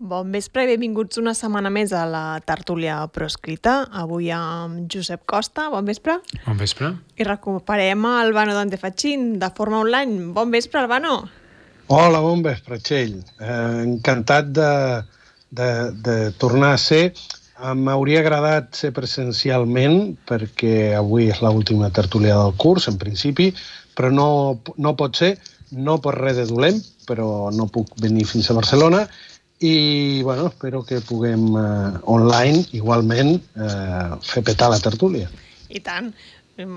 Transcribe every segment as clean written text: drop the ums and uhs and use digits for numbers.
Bon vespre i benvinguts una setmana més a la tertúlia proscrita. Avui amb Josep Costa. Bon vespre. Bon vespre. I recuperem a Albano Dante Fachin de forma online. Bon vespre, Albano. Hola, bon vespre, Txell. Encantat de tornar a ser. M'hauria agradat ser presencialment perquè avui és l'última tertúlia del curs, en principi, però no pot ser, no per res de dolent, però no puc venir fins a Barcelona. I, bueno, espero que puguem online, igualment, fer petar la tertúlia. I tant.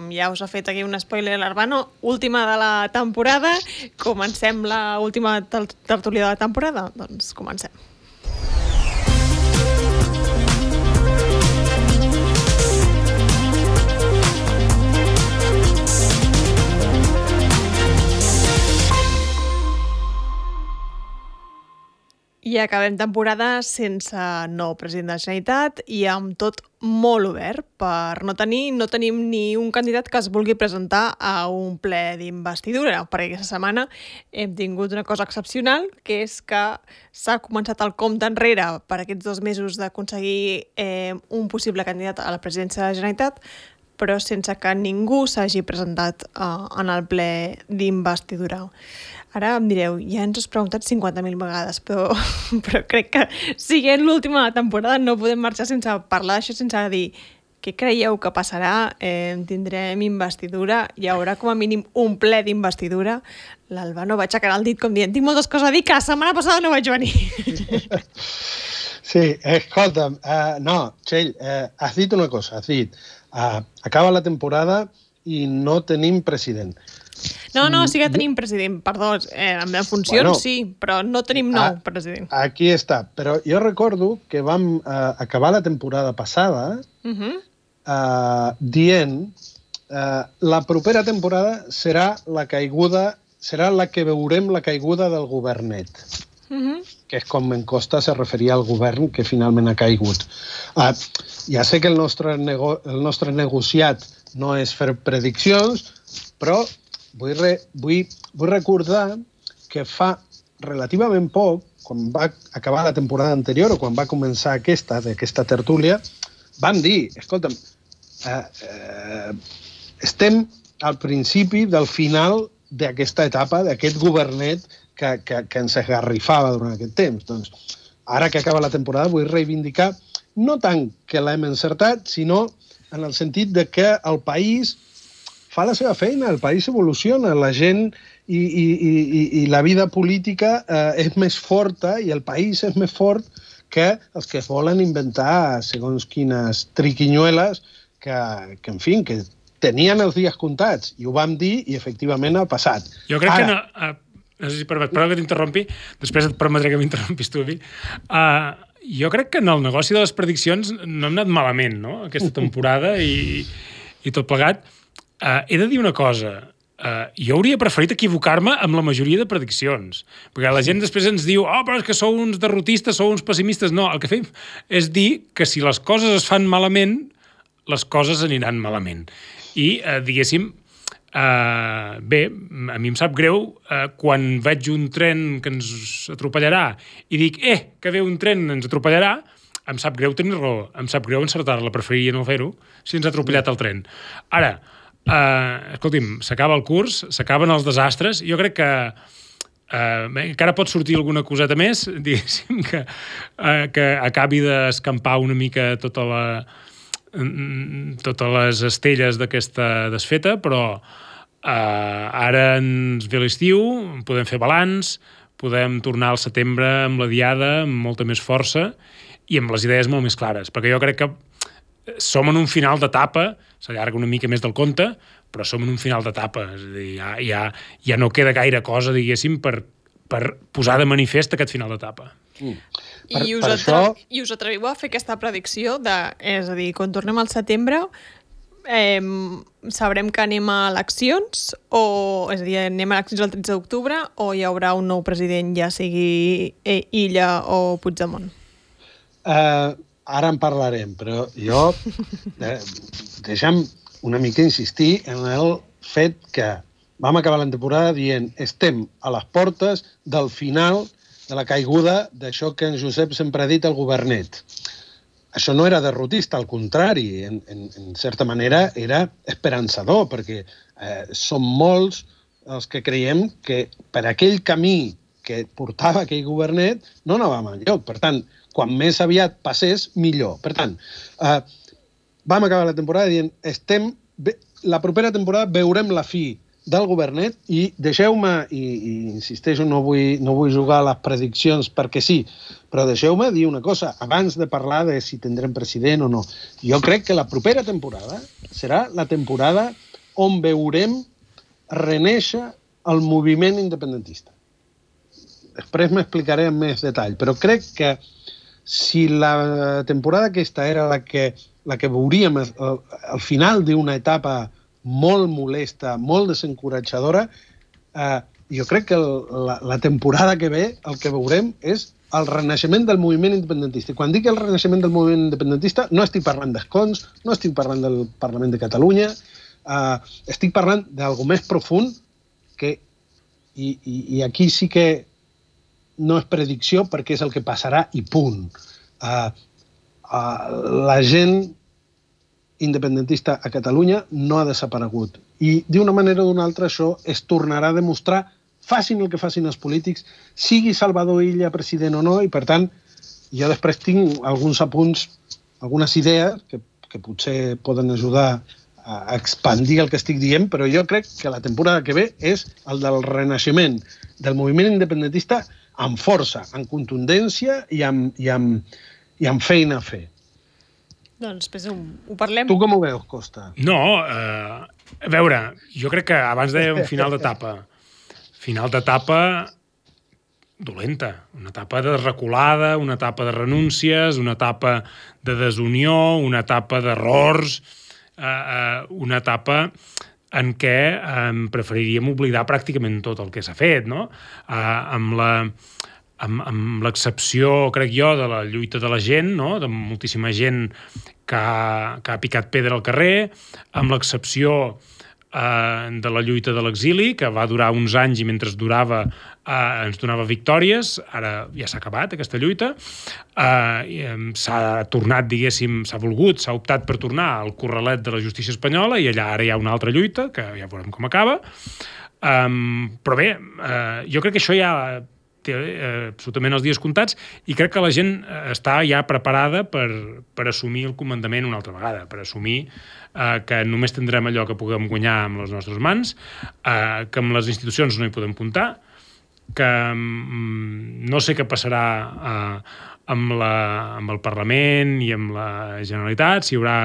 Ja us ha fet aquí un spoiler, l'Arbano. Última de la temporada. Comencem la última tertúlia de la temporada? Doncs comencem. I acabem temporada sense nou president de la Generalitat i amb tot molt obert. No tenim ni un candidat que es vulgui presentar a un ple d'investidura, perquè aquesta setmana hem tingut una cosa excepcional, que és que s'ha començat el compte enrere per aquests 2 mesos d'aconseguir un possible candidat a la presidència de la Generalitat, però sense que ningú s'hagi presentat en el ple d'investidura. Ara em direu, ja ens has preguntat 50.000 vegades, però crec que siguent l'última temporada no podem marxar sense parlar d'això, sense dir què creieu que passarà, tindrem investidura, hi haurà com a mínim un ple d'investidura. L'Albano va aixecar el dit com dient, tinc moltes coses a dir, que la setmana passada no vaig venir. Sí, escolta'm, no, Txell, has dit una cosa, acaba la temporada i no tenim president. No, sí que tenim president, perdó, en funcions sí, però no tenim nou president. Aquí està, però jo recordo que vam acabar la temporada passada dient la propera temporada serà la que veurem la caiguda del governet, que és com en Costa se referia al govern que finalment ha caigut. Ja sé que el nostre negociat no és fer prediccions, però vull recordar que fa relativament poc, quan va acabar la temporada anterior o quan va començar d'aquesta tertúlia, vam dir, escolta'm, estem al principi del final d'aquesta etapa, d'aquest governet que ens esgarrifava durant aquest temps. Doncs, ara que acaba la temporada, vull reivindicar no tant que l'hem encertat, sinó en el sentit de que el país fa la seva feina, el país evoluciona, la gent i la vida política és més forta i el país és més fort que els que volen inventar segons quines triquinyueles que en fi, que tenien els dies comptats i ho vam dir i efectivament ha passat. Jo crec que no... No sé si permet, però que t'interrompi, després et permetré que m'interrompis tu a mi. Jo crec que en el negoci de les prediccions no hem anat malament, no?, aquesta temporada i tot plegat. He de dir una cosa, jo hauria preferit equivocar-me amb la majoria de prediccions, perquè la gent després ens diu però és que sou uns derrotistes, sou uns pessimistes. No, el que fem és dir que si les coses es fan malament, les coses aniran malament. I, diguéssim, bé, a mi em sap greu quan veig un tren que ens atropellarà i dic, que ve un tren ens atropellarà, em sap greu tenir raó, em sap greu encertar-la, preferiria no fer-ho si ens ha atropellat el tren. Ara, escolti'm, s'acaba el curs, s'acaben els desastres, jo crec que encara pot sortir alguna coseta més, diguéssim, que acabi d'escampar una mica totes les estelles d'aquesta desfeta, però ara ens ve l'estiu, podem fer balanç, podem tornar al setembre amb la diada, amb molta més força i amb les idees molt més clares, perquè jo crec que som en un final d'etapa, s'allarga una mica més del compte, però som en un final d'etapa, és a dir, ja no queda gaire cosa, diguéssim, per posar de manifest aquest final d'etapa. I us atreviu a fer aquesta predicció és a dir, quan tornem al setembre sabrem que anem a eleccions és a dir, anem a eleccions el 13 d'octubre o hi haurà un nou president, ja sigui Illa o Puigdemont? Ara en parlarem, però jo deixa'm una mica insistir en el fet que vam acabar la temporada dient estem a les portes del final de la caiguda d'això que en Josep sempre ha dit, el governet. Això no era derrotista, al contrari, en certa manera era esperançador, perquè som molts els que creiem que per aquell camí que portava aquell governet no anàvem enlloc. Per tant, quan més aviat passés, millor. Per tant, vam acabar la temporada dient la propera temporada veurem la fi del governet i deixeu-me, i insisteixo, no vull jugar a les prediccions perquè sí, però deixeu-me dir una cosa, abans de parlar de si tindrem president o no. Jo crec que la propera temporada serà la temporada on veurem renéixer el moviment independentista. Després m'explicaré amb més detall, però crec que si la temporada aquesta era la que veuríem al final d'una etapa molt molesta, molt desencoratjadora, jo crec que la temporada que ve el que veurem és el renaixement del moviment independentista. I quan dic el renaixement del moviment independentista no estic parlant d'escons, no estic parlant del Parlament de Catalunya, estic parlant d'algo més profund que, i aquí sí que no és predicció perquè és el que passarà i punt. La gent independentista a Catalunya no ha desaparegut. I d'una manera o d'una altra això es tornarà a demostrar, facin el que facin els polítics, sigui Salvador Illa president o no, i per tant jo després tinc alguns apunts, algunes idees que potser poden ajudar a expandir el que estic dient, però jo crec que la temporada que ve és el del renaixement del moviment independentista amb força, amb contundència i amb feina a fer. Doncs després ho parlem. Tu com ho veus, Costa? No, a veure, jo crec que abans deia un final d'etapa dolenta, una etapa de reculada, una etapa de renúncies, una etapa de desunió, una etapa d'errors, una etapa en què preferiríem oblidar pràcticament tot el que s'ha fet, no? Amb l'excepció, crec jo, de la lluita de la gent, no? De moltíssima gent que ha picat pedra al carrer, amb l'excepció de la lluita de l'exili, que va durar uns anys i mentre durava ens donava victòries. Ara ja s'ha acabat aquesta lluita. S'ha tornat, diguéssim, s'ha optat per tornar al corralet de la justícia espanyola i allà ara hi ha una altra lluita, que ja veurem com acaba. Però bé, jo crec que això ja té absolutament els dies comptats i crec que la gent està ja preparada per assumir el comandament una altra vegada, per assumir que només tindrem allò que puguem guanyar amb les nostres mans, que amb les institucions no hi podem comptar, que no sé què passarà amb el Parlament i amb la Generalitat, si hi haurà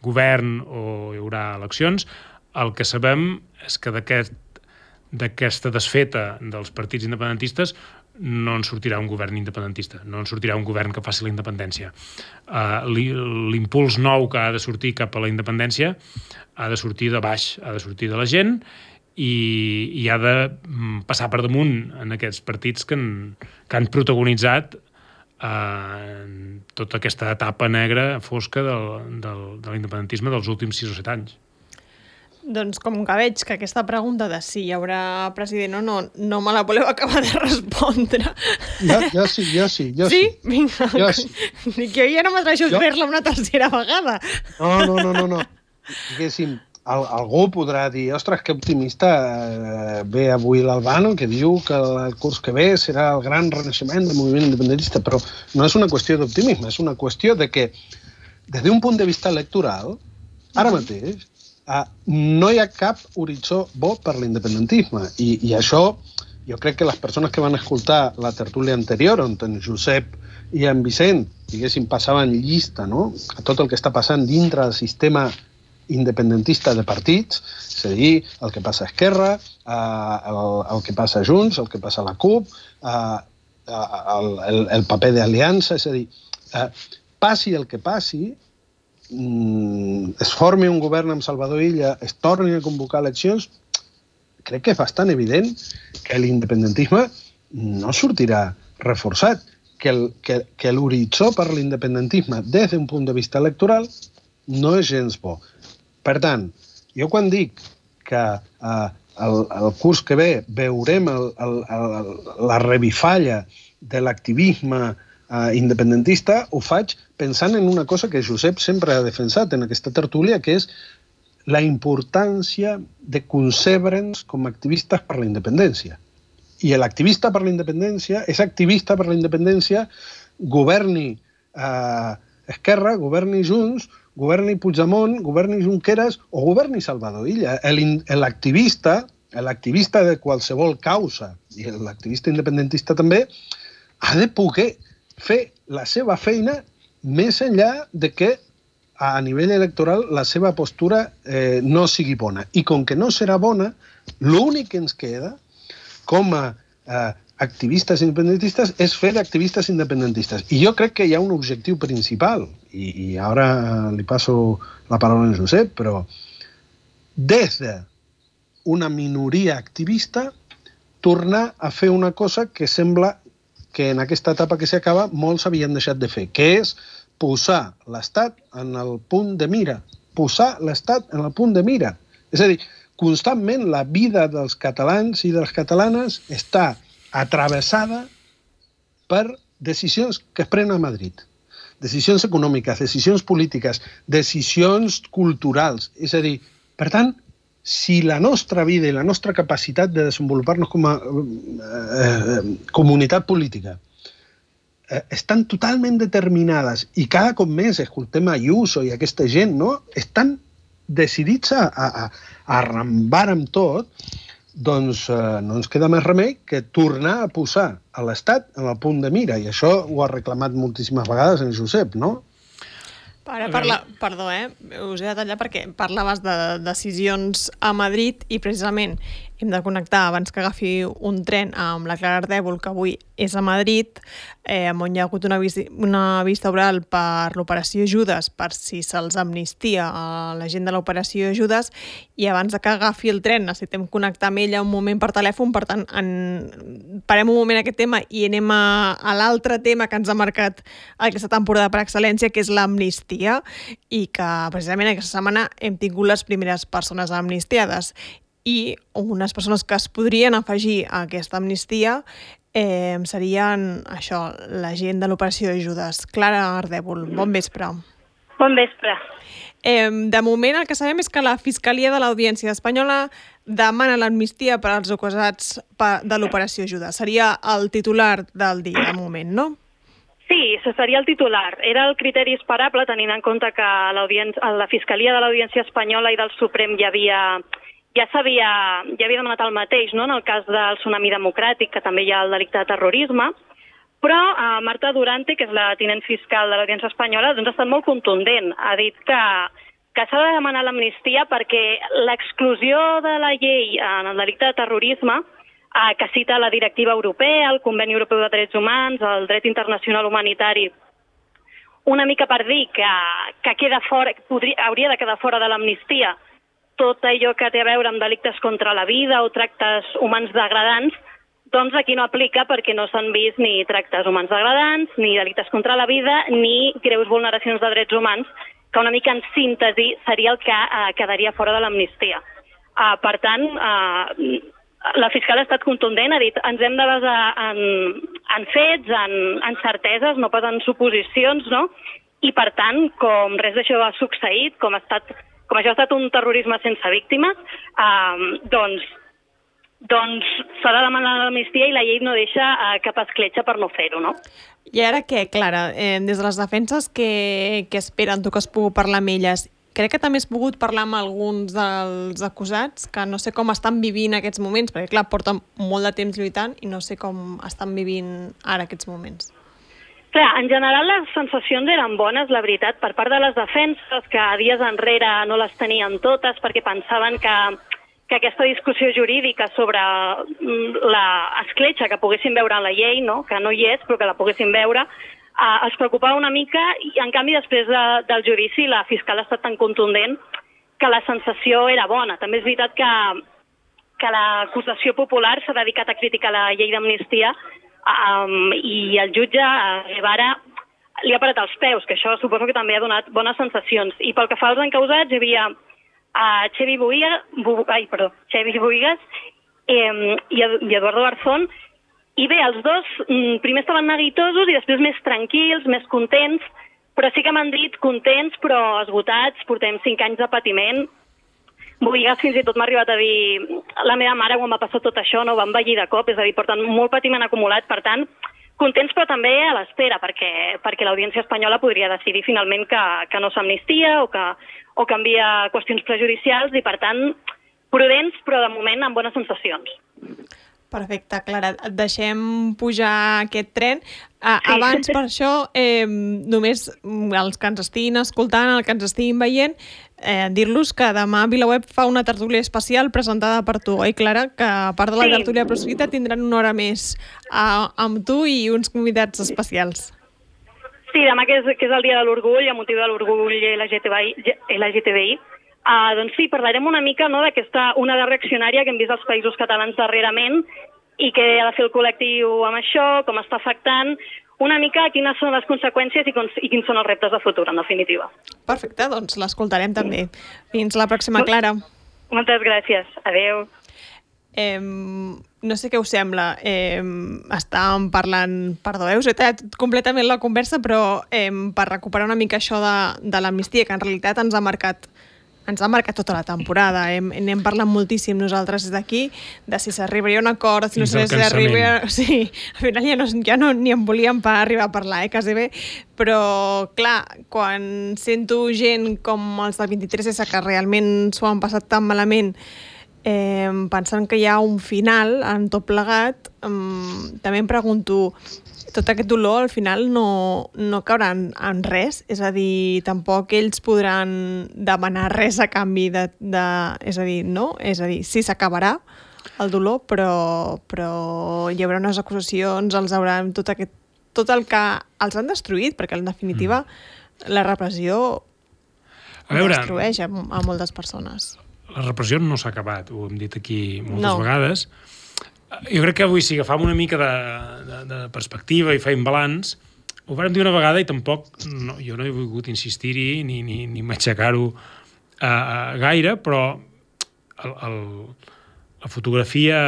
govern o hi haurà eleccions. El que sabem és que d'aquesta desfeta dels partits independentistes no en sortirà un govern independentista, no en sortirà un govern que faci la independència. L'impuls nou que ha de sortir cap a la independència ha de sortir de baix, ha de sortir de la gent i ha de passar per damunt en aquests partits que han protagonitzat tota aquesta etapa negra, fosca de l'independentisme dels últims 6 o 7 anys. Doncs com que veig que aquesta pregunta de si hi haurà president o no me la voleu acabar de respondre. Jo sí. Sí? Vinga. Jo sí. Dic, jo ja no m'atreixo a fer-la una tercera vegada. No. Diguéssim, algú podrà dir, ostres, que optimista ve avui l'Albano, que diu que el curs que ve serà el gran renaixement del moviment independentista, però no és una qüestió d'optimisme, és una qüestió de que, des d'un punt de vista electoral, ara mateix, no hi ha cap horitzó bo per l'independentisme. I això, jo crec que les persones que van escoltar la tertúlia anterior, on en Josep i en Vicent, diguéssim, passaven llista, no?, a tot el que està passant dintre del sistema independentista de partits, és a dir, el que passa a Esquerra, el que passa a Junts, el que passa a la CUP, el paper d'aliança, és a dir, passi el que passi, es formi un govern amb Salvador Illa, es torni a convocar eleccions, crec que és bastant evident que l'independentisme no sortirà reforçat, que l'horitzó per l'independentisme des d'un punt de vista electoral no és gens bo. Per tant, jo quan dic que el curs que ve veurem la revifalla de l'activisme independentista, ho faig pensant en una cosa que Josep sempre ha defensat en aquesta tertúlia, que és la importància de concebre'ns com a activistes per la independència. I l'activista per la independència és activista per la independència, governi Esquerra, governi Junts, governi Puigdemont, governi Junqueras o governi Salvador Illa. L'activista de qualsevol causa, i l'activista independentista també, ha de poder fer la seva feina més enllà de que a nivell electoral la seva postura no sigui bona. I com que no serà bona, l'únic que ens queda com a activistes independentistes és fer d'activistes independentistes. I jo crec que hi ha un objectiu principal, i ara li passo la paraula a Josep, però des d'una minoria activista tornar a fer una cosa que sembla que en aquesta etapa que s'acaba molts havien deixat de fer, que és posar l'Estat en el punt de mira. Posar l'Estat en el punt de mira. És a dir, constantment la vida dels catalans i de les catalanes està atravessada per decisions que es prenen a Madrid. Decisions econòmiques, decisions polítiques, decisions culturals. És a dir, per tant, si la nostra vida i la nostra capacitat de desenvolupar-nos com a comunitat política estan totalment determinades i cada cop més escoltem a Ayuso i aquesta gent, no? Estan decidits a arrambar amb tot, doncs no ens queda més remei que tornar a posar a l'Estat en el punt de mira. I això ho ha reclamat moltíssimes vegades en Josep, no? Perdó, us he de tallar perquè parlaves de decisions a Madrid i precisament hem de connectar abans que agafi un tren amb la Clara Ardèvol, que avui és a Madrid, on hi ha hagut una vista oral per l'operació Judes, per si se'ls amnistia a la gent de l'operació Judes, i abans que agafi el tren necessitem connectar amb ella un moment per telèfon, per tant, parem un moment aquest tema i anem a l'altre tema que ens ha marcat aquesta temporada per excel·lència, que és l'amnistia, i que precisament aquesta setmana hem tingut les primeres persones amnistiades. I unes persones que es podrien afegir a aquesta amnistia serien això, la gent de l'operació Judes. Clara Ardèvol, bon vespre. Bon vespre. De moment el que sabem és que la Fiscalia de l'Audiència Espanyola demana l'amnistia per als acusats de l'operació Judes. Seria el titular del dia, de moment, no? Sí, seria el titular. Era el criteri esperable, tenint en compte que la Fiscalia de l'Audiència Espanyola i del Suprem ja havia demanat el mateix, no?, en el cas del Tsunami Democràtic, que també hi ha el delicte de terrorisme, però Marta Durante, que és la tinent fiscal de l'Audiència Espanyola, doncs ha estat molt contundent. Ha dit que s'ha de demanar l'amnistia perquè l'exclusió de la llei en el delicte de terrorisme, que cita la directiva europea, el Conveni Europeu de Drets Humans, el dret internacional humanitari, una mica per dir que queda fora, hauria de quedar fora de l'amnistia tot allò que té a veure amb delictes contra la vida o tractes humans degradants, doncs aquí no aplica perquè no s'han vist ni tractes humans degradants, ni delictes contra la vida, ni greus vulneracions de drets humans, que una mica en síntesi seria el que quedaria fora de l'amnistia. Per tant, la fiscal ha estat contundent, ha dit ens hem de basar en fets, en certeses, no pas en suposicions, no? I per tant, com res d'això ha succeït, com això ha estat un terrorisme sense víctimes, doncs s'ha de demanar l'amnistia i la llei no deixa cap escletxa per no fer-ho, no? I ara què, Clara? Des de les defenses, què esperen? Tu que has pogut parlar amb elles, crec que també has pogut parlar amb alguns dels acusats que no sé com estan vivint aquests moments, perquè clar, porten molt de temps lluitant i no sé com estan vivint ara aquests moments. Clar, en general les sensacions eren bones, la veritat, per part de les defenses, que dies enrere no les tenien totes perquè pensaven que aquesta discussió jurídica sobre l'escletxa que poguessin veure en la llei, no? Que no hi és, però que la poguessin veure, els preocupava una mica i, en canvi, després del judici, la fiscal ha estat tan contundent que la sensació era bona. També és veritat que l'acusació popular s'ha dedicat a criticar la llei d'amnistia i el jutge Guevara li ha parat els peus, que això suposo que també ha donat bones sensacions. I pel que fa als encausats, hi havia Xevi Bohigas i Eduardo Garzón, I bé, els dos primer estaven neguitosos i després més tranquils, més contents, però sí que m'han dit contents però esgotats, portem 5 anys de patiment. Boigas fins i tot m'ha arribat a dir la meva mare quan va passar tot això no va envellir de cop, és a dir, porten molt patiment acumulat, per tant, contents però també a l'espera, perquè l'Audiència espanyola podria decidir finalment que no s'amnistia o canvia qüestions prejudicials i, per tant, prudents però de moment amb bones sensacions. Perfecte, Clara. Et deixem pujar aquest tren. Abans, per això, només els que ens estiguin escoltant, els que ens estiguin veient, dir-los que demà VilaWeb fa una tertúlia especial presentada per tu, oi, Clara? Que a part de la tertúlia proscrita tindran una hora més amb tu i uns convidats especials. Sí, demà que és el dia de l'orgull, a motiu de l'orgull LGTBI, doncs sí, parlarem una mica d'aquesta onada reaccionària que hem vist als països catalans darrerament i què ha de fer el col·lectiu amb això, com està afectant, una mica quines són les conseqüències i quins són els reptes de futur, en definitiva. Perfecte, doncs l'escoltarem també. Fins la pròxima, Clara. Moltes gràcies. Adéu. No sé què us sembla. Estàvem parlant... Perdó, us he tallat completament la conversa, però per recuperar una mica això de l'amnistia, que en realitat ens ha marcat tota la temporada. N'hem parlat moltíssim nosaltres des d'aquí, de si s'arribaria a un acord, si no s'arribaria... Sí, al final ja no ni en volíem arribar a parlar, quasi bé. Però, clar, quan sento gent com els del 23S que realment s'ho han passat tan malament, pensant que hi ha un final en tot plegat, també em pregunto, tot aquest dolor al final no caurà en res, és a dir, tampoc ells podran demanar res a canvi és a dir, no? És a dir, sí, s'acabarà el dolor, però hi haurà unes acusacions, tot el que els han destruït, perquè en definitiva la repressió destrueix a moltes persones. La repressió no s'ha acabat, ho hem dit aquí moltes vegades. Jo crec que avui, si agafam una mica de perspectiva i feim balanç, ho vam dir una vegada i tampoc, jo no he volgut insistir-hi ni m'aixecar-ho gaire, però la fotografia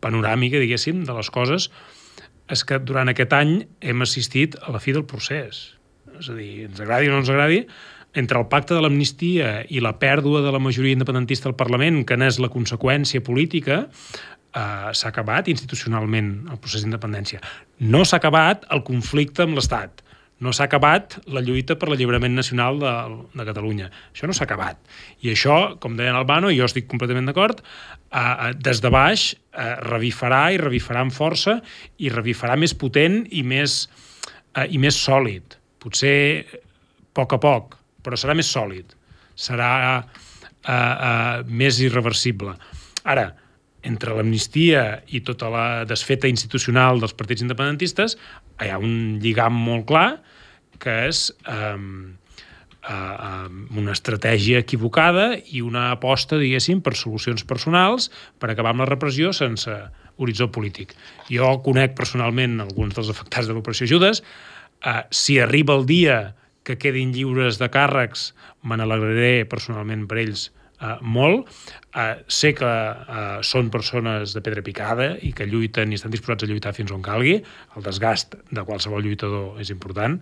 panoràmica, diguéssim, de les coses és que durant aquest any hem assistit a la fi del procés. És a dir, ens agradi o no ens agradi, entre el pacte de l'amnistia i la pèrdua de la majoria independentista al Parlament, que n'és la conseqüència política, s'ha acabat institucionalment el procés d'independència. No s'ha acabat el conflicte amb l'Estat. No s'ha acabat la lluita per l'alliberament nacional de Catalunya. Això no s'ha acabat. I això, com deia en Albano, i jo estic completament d'acord, des de baix revifarà i revifarà amb força i revifarà més potent i més sòlid. Potser a poc, però serà més sòlid, serà més irreversible. Ara, entre l'amnistia i tota la desfeta institucional dels partits independentistes hi ha un lligam molt clar que és una estratègia equivocada i una aposta, diguéssim, per solucions personals per acabar amb la repressió sense horitzó polític. Jo conec personalment alguns dels afectats de l'operació Judes. Si arriba el dia que quedin lliures de càrrecs, me n'alegraré personalment per ells molt. Sé que són persones de pedra picada i que lluiten i estan disposats a lluitar fins on calgui. El desgast de qualsevol lluitador és important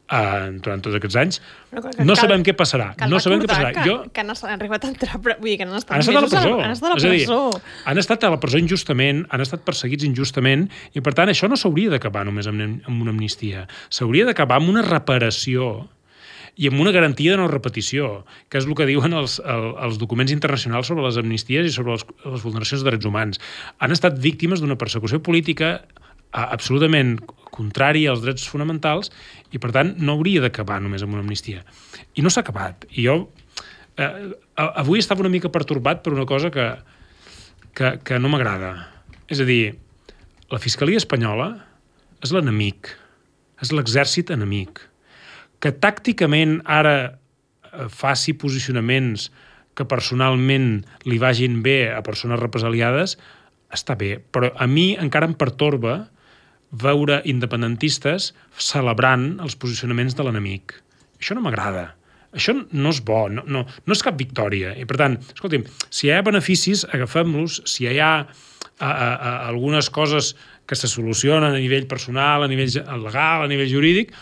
durant tots aquests anys. No sabem què passarà. No sabem què passarà. Que han arribat a entrar... Vull dir, que han estat a la presó. Han estat a la presó. Han estat a la presó injustament, han estat perseguits injustament i, per tant, això no s'hauria d'acabar només amb una amnistia. S'hauria d'acabar amb una reparació i amb una garantia de no repetició, que és el que diuen els documents internacionals sobre les amnisties i sobre les vulneracions de drets humans. Han estat víctimes d'una persecució política absolutament contrària als drets fonamentals i, per tant, no hauria d'acabar només amb una amnistia. I no s'ha acabat. I jo avui estava una mica pertorbat per una cosa que no m'agrada. És a dir, la Fiscalia espanyola és l'enemic, és l'exèrcit enemic, que tàcticament ara faci posicionaments que personalment li vagin bé a persones represaliades, està bé, però a mi encara em pertorba veure independentistes celebrant els posicionaments de l'enemic. Això no m'agrada. Això no és bo, no és cap victòria. I, per tant, escolti'm, si hi ha beneficis, agafem-los. Si hi ha algunes coses que se solucionen a nivell personal, a nivell legal, a nivell jurídic,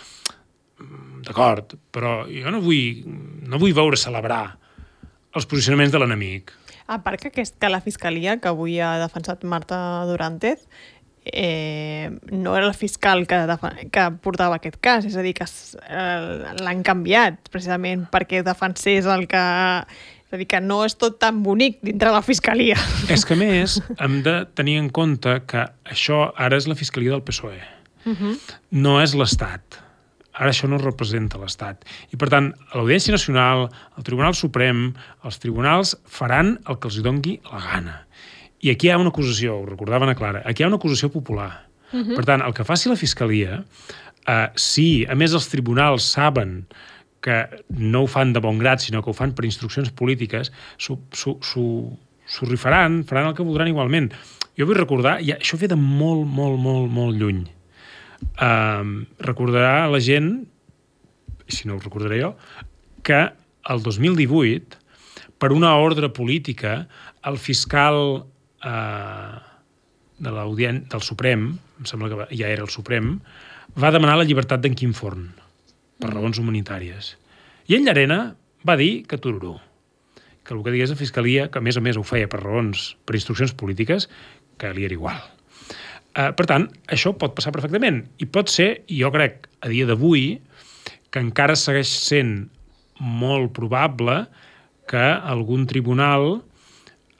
d'acord, però jo no vull veure celebrar els posicionaments de l'enemic. A part que la Fiscalia, que avui ha defensat Marta Durantez, no era el fiscal que portava aquest cas, és a dir, que l'han canviat precisament perquè defensés el que... És a dir, que no és tot tan bonic dintre la Fiscalia. És que, a més, hem de tenir en compte que això ara és la Fiscalia del PSOE. No és l'Estat. Ara això no representa l'Estat. I, per tant, l'Audiència Nacional, el Tribunal Suprem, els tribunals faran el que els dongui la gana. I aquí hi ha una acusació, ho recordava Ana Clara, aquí hi ha una acusació popular. Per tant, el que faci la Fiscalia, si, a més, els tribunals saben que no ho fan de bon grat, sinó que ho fan per instruccions polítiques, s'ho rifaran, faran el que voldran igualment. Jo vull recordar, i això ve de molt, molt, molt, molt lluny. Recordarà la gent, si no ho recordaré jo, que el 2018, per una ordre política, el fiscal del Suprem, em sembla que ja era el Suprem, va demanar la llibertat d'en Quim Forn per raons humanitàries. I en Llarena va dir que tururú, que el que digués la Fiscalia, que a més ho feia per instruccions polítiques, que li era igual. Per tant, això pot passar perfectament. I pot ser, jo crec, a dia d'avui, que encara segueix sent molt probable que algun tribunal,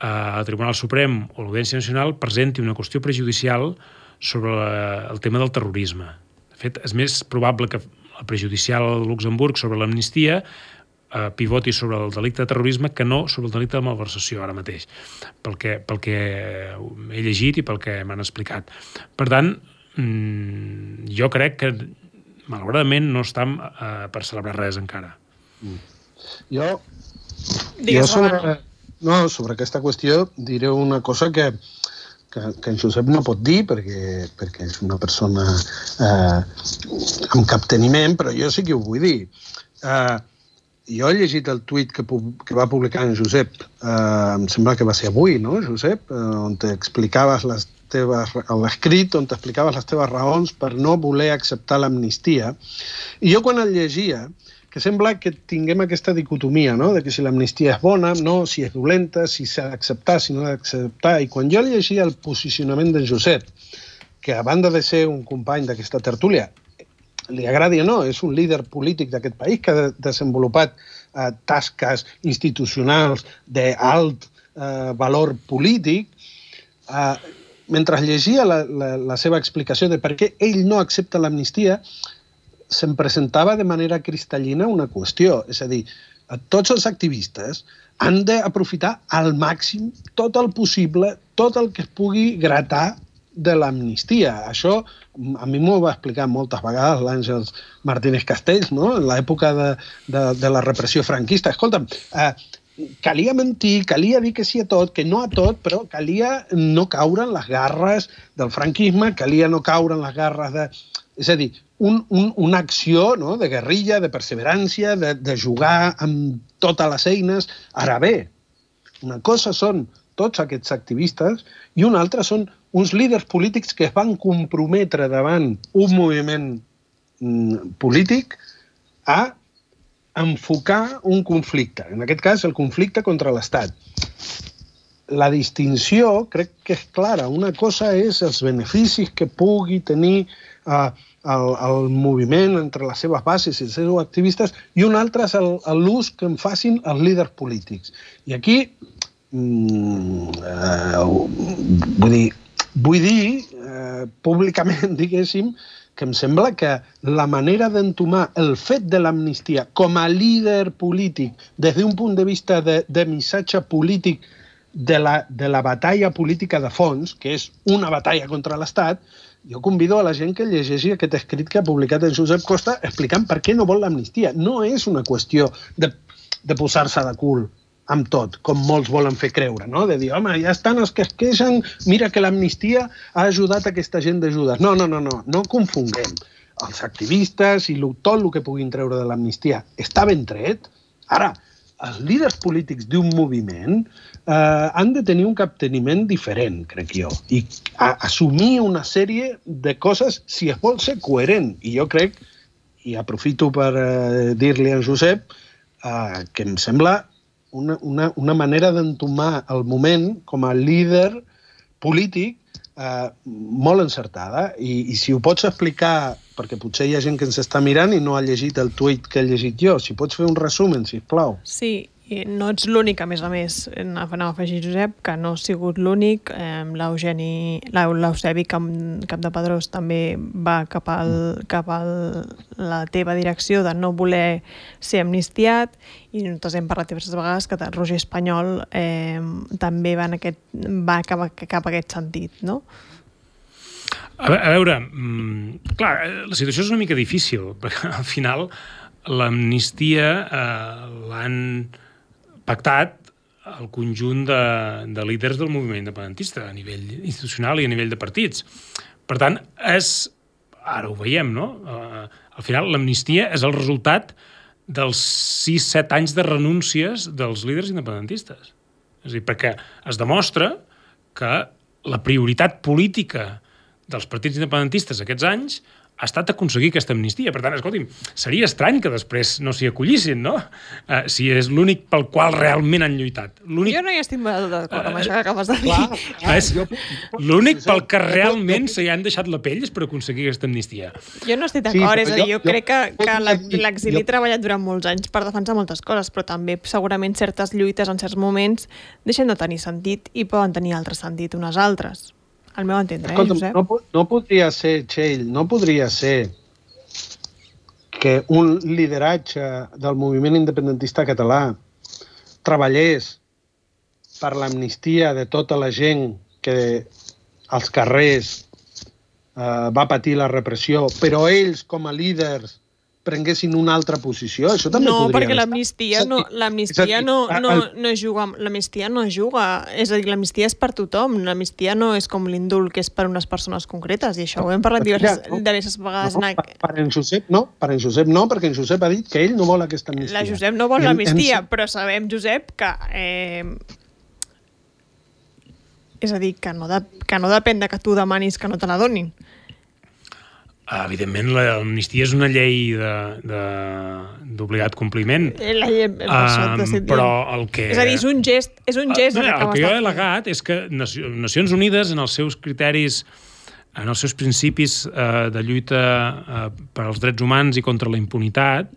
el Tribunal Suprem o l'Audiència Nacional, presenti una qüestió prejudicial sobre el tema del terrorisme. De fet, és més probable que el prejudicial de Luxemburg sobre l'amnistia pivoti sobre el delicte de terrorisme que no sobre el delicte de malversació ara mateix, pel que he llegit i pel que m'han explicat. Per tant, jo crec que malauradament no estem per celebrar res encara. Jo sobre aquesta qüestió diré una cosa que en Josep no pot dir perquè és una persona amb capteniment, però jo sí que ho vull dir. Jo he llegit el tuit que va publicar en Josep, em sembla que va ser avui, no, Josep? On t'explicaves l'escrit, on t'explicaves les teves raons per no voler acceptar l'amnistia. I jo quan el llegia, que sembla que tinguem aquesta dicotomia, no?, de que si l'amnistia és bona, no, si és dolenta, si s'ha d'acceptar, si no s'ha d'acceptar. I quan jo llegia el posicionament d'en Josep, que a banda de ser un company d'aquesta tertúlia, li agradi o no, és un líder polític d'aquest país que ha desenvolupat tasques institucionals d'alt valor polític, mentre llegia la seva explicació de per què ell no accepta l'amnistia, se'm presentava de manera cristal·lina una qüestió. És a dir, tots els activistes han d'aprofitar al màxim tot el possible, tot el que es pugui gratar de l'amnistia. Això a mi m'ho va explicar moltes vegades l'Àngels Martínez Castells, no?, en l'època de la repressió franquista. Escolta'm, calia mentir, calia dir que sí a tot, que no a tot, però calia no caure en les garres del franquisme, calia no caure en les garres de... És a dir, una acció, no?, de guerrilla, de perseverància, de jugar amb totes les eines. Ara bé, una cosa són tots aquests activistes i una altra són uns líders polítics que es van comprometre davant un moviment polític a enfocar un conflicte, en aquest cas el conflicte contra l'Estat. La distinció crec que és clara. Una cosa és els beneficis que pugui tenir el moviment entre les seves bases i els seus activistes i una altra és l'ús que en facin els líders polítics. I aquí vull dir públicament, diguéssim, que em sembla que la manera d'entomar el fet de l'amnistia com a líder polític des d'un punt de vista de missatge polític de la batalla política de fons, que és una batalla contra l'Estat, jo convido a la gent que llegeixi aquest escrit que ha publicat en Josep Costa explicant per què no vol l'amnistia. No és una qüestió de posar-se de cul amb tot, com molts volen fer creure, no? De dir, home, ja estan els que es queixen, mira que l'amnistia ha ajudat aquesta gent de Judes. No confonguem. Els activistes i tot el que puguin treure de l'amnistia està ben tret. Ara, els líders polítics d'un moviment han de tenir un capteniment diferent, crec jo, i assumir una sèrie de coses si es vol ser coherent. I jo crec, i aprofito per dir-li a Josep, que em sembla una manera d'entomar el moment com a líder polític molt encertada. I si ho pots explicar, perquè potser hi ha gent que ens està mirant i no ha llegit el tuit que he llegit jo, si pots fer un resumen, sisplau. Sí, i no ets l'únic, a més, anava a afegir, Josep, que no ha sigut l'únic. L'Eusebi Campdepadrós també va cap a la teva direcció de no voler ser amnistiat, i nosaltres hem parlat diverses vegades que Roger Espanyol també va cap a aquest sentit, no? A veure, clar, la situació és una mica difícil, perquè al final l'amnistia l'han pactat el conjunt de líders del moviment independentista a nivell institucional i a nivell de partits. Per tant, ara ho veiem, no? Al final, l'amnistia és el resultat dels 6-7 anys de renúncies dels líders independentistes. És a dir, perquè es demostra que la prioritat política dels partits independentistes aquests anys ha estat aconseguir aquesta amnistia. Per tant, escolti'm, seria estrany que després no s'hi acollissin, no? Si és l'únic pel qual realment han lluitat. Jo no hi estic molt d'acord amb això que acabes de dir. L'únic pel que realment s'hi han deixat la pell és per aconseguir aquesta amnistia. Jo no estic d'acord, és a dir, jo crec que l'exili ha treballat durant molts anys per defensar moltes coses, però també segurament certes lluites en certs moments deixen de tenir sentit i poden tenir altre sentit unes altres. Al meu entendre, Josep? No podria ser, Txell, no podria ser que un lideratge del moviment independentista català treballés per l'amnistia de tota la gent que als carrers va patir la repressió, però ells, com a líders, prenguessin una altra posició. Això també podria... No, perquè l'amnistia no juga. És a dir, l'amnistia és per tothom. L'amnistia no és com l'indult, que és per unes persones concretes, i això ho hem parlat diverses vegades. Per en Josep no, perquè en Josep ha dit que ell no vol aquesta amnistia. La Josep no vol l'amnistia, però sabem, Josep, que... És a dir, que no depèn de que tu demanis que no te la donin. Evidentment, l'amnistia és una llei d'obligat compliment. Però el que... És a dir, és un gest. El que jo he al·legat és que Nacions Unides, en els seus criteris, en els seus principis de lluita per als drets humans i contra la impunitat,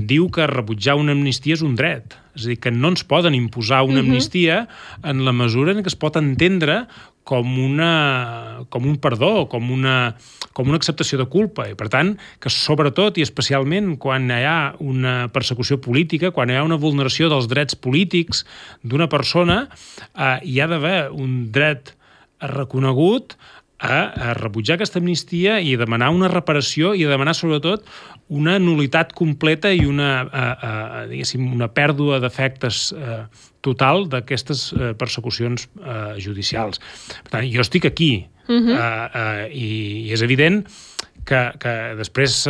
diu que rebutjar una amnistia és un dret. És a dir, que no ens poden imposar una amnistia en la mesura en què es pot entendre com un perdó, com una acceptació de culpa. I, per tant, que sobretot i especialment quan hi ha una persecució política, quan hi ha una vulneració dels drets polítics d'una persona, hi ha d'haver un dret reconegut a rebutjar aquesta amnistia i demanar una reparació i demanar, sobretot, una nul·litat completa i una pèrdua d'efectes total d'aquestes persecucions judicials. Per tant, jo estic aquí i és evident que després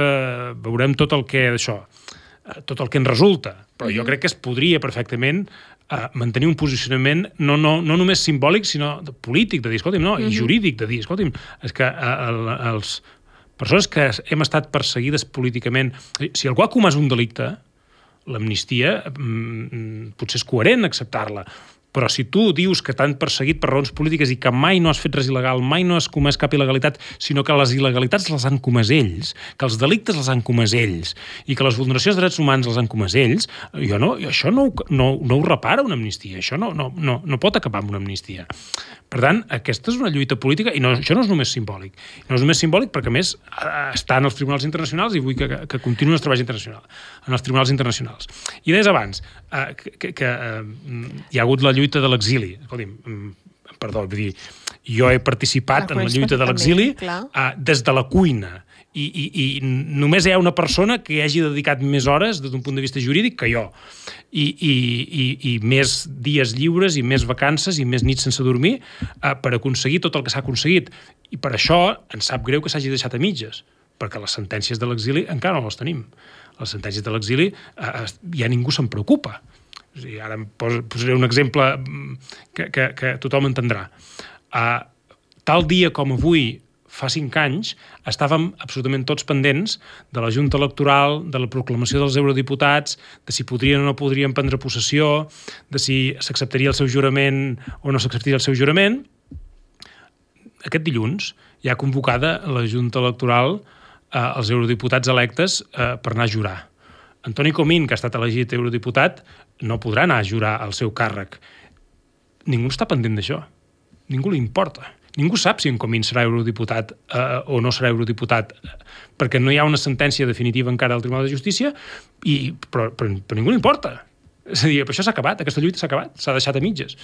veurem tot el que en resulta, però jo crec que es podria perfectament mantenir un posicionament no només simbòlic, sinó polític, de dir, escolti'm, no, i jurídic, de dir, escolti'm, és que les persones que hem estat perseguides políticament, si algú ha comès un delicte, l'amnistia potser és coherent acceptar-la, però si tu dius que t'han perseguit per raons polítiques i que mai no has fet res il·legal, mai no has comès cap il·legalitat, sinó que les il·legalitats les han comès ells, que els delictes els han comès ells i que les vulneracions de drets humans les han comès ells, això no ho repara una amnistia, això no pot acabar amb una amnistia. Per tant, aquesta és una lluita política i això no és només simbòlic. No és només simbòlic perquè, a més, està en els tribunals internacionals i vull que continuï els treballs internacionals, en els tribunals internacionals. I deies abans que hi ha hagut la lluita de l'exili. Escolti'm, perdó, vull dir, jo he participat en la lluita de l'exili des de la cuina i només hi ha una persona que hi hagi dedicat més hores des d'un punt de vista jurídic que jo i més dies lliures i més vacances i més nits sense dormir per aconseguir tot el que s'ha aconseguit, i per això ens sap greu que s'hagi deixat a mitges, perquè les sentències de l'exili encara no les tenim. les sentències de l'exili, ja ningú se'n preocupa. És a dir, ara posaré un exemple que tothom entendrà. Tal dia com avui, fa 5 anys, estàvem absolutament tots pendents de la Junta Electoral, de la proclamació dels eurodiputats, de si podrien o no podrien prendre possessió, de si s'acceptaria el seu jurament o no s'acceptaria el seu jurament. Aquest dilluns ja ha convocada la Junta Electoral els eurodiputats electes per anar a jurar. Antoni Comín, que ha estat elegit eurodiputat, no podrà anar a jurar al seu càrrec. Ningú està pendent d'això. Ningú li importa. Ningú sap si en Comín serà eurodiputat o no serà eurodiputat, perquè no hi ha una sentència definitiva encara del Tribunal de Justícia, però ningú li importa. És a dir, això s'ha acabat, aquesta lluita s'ha acabat, s'ha deixat a mitges.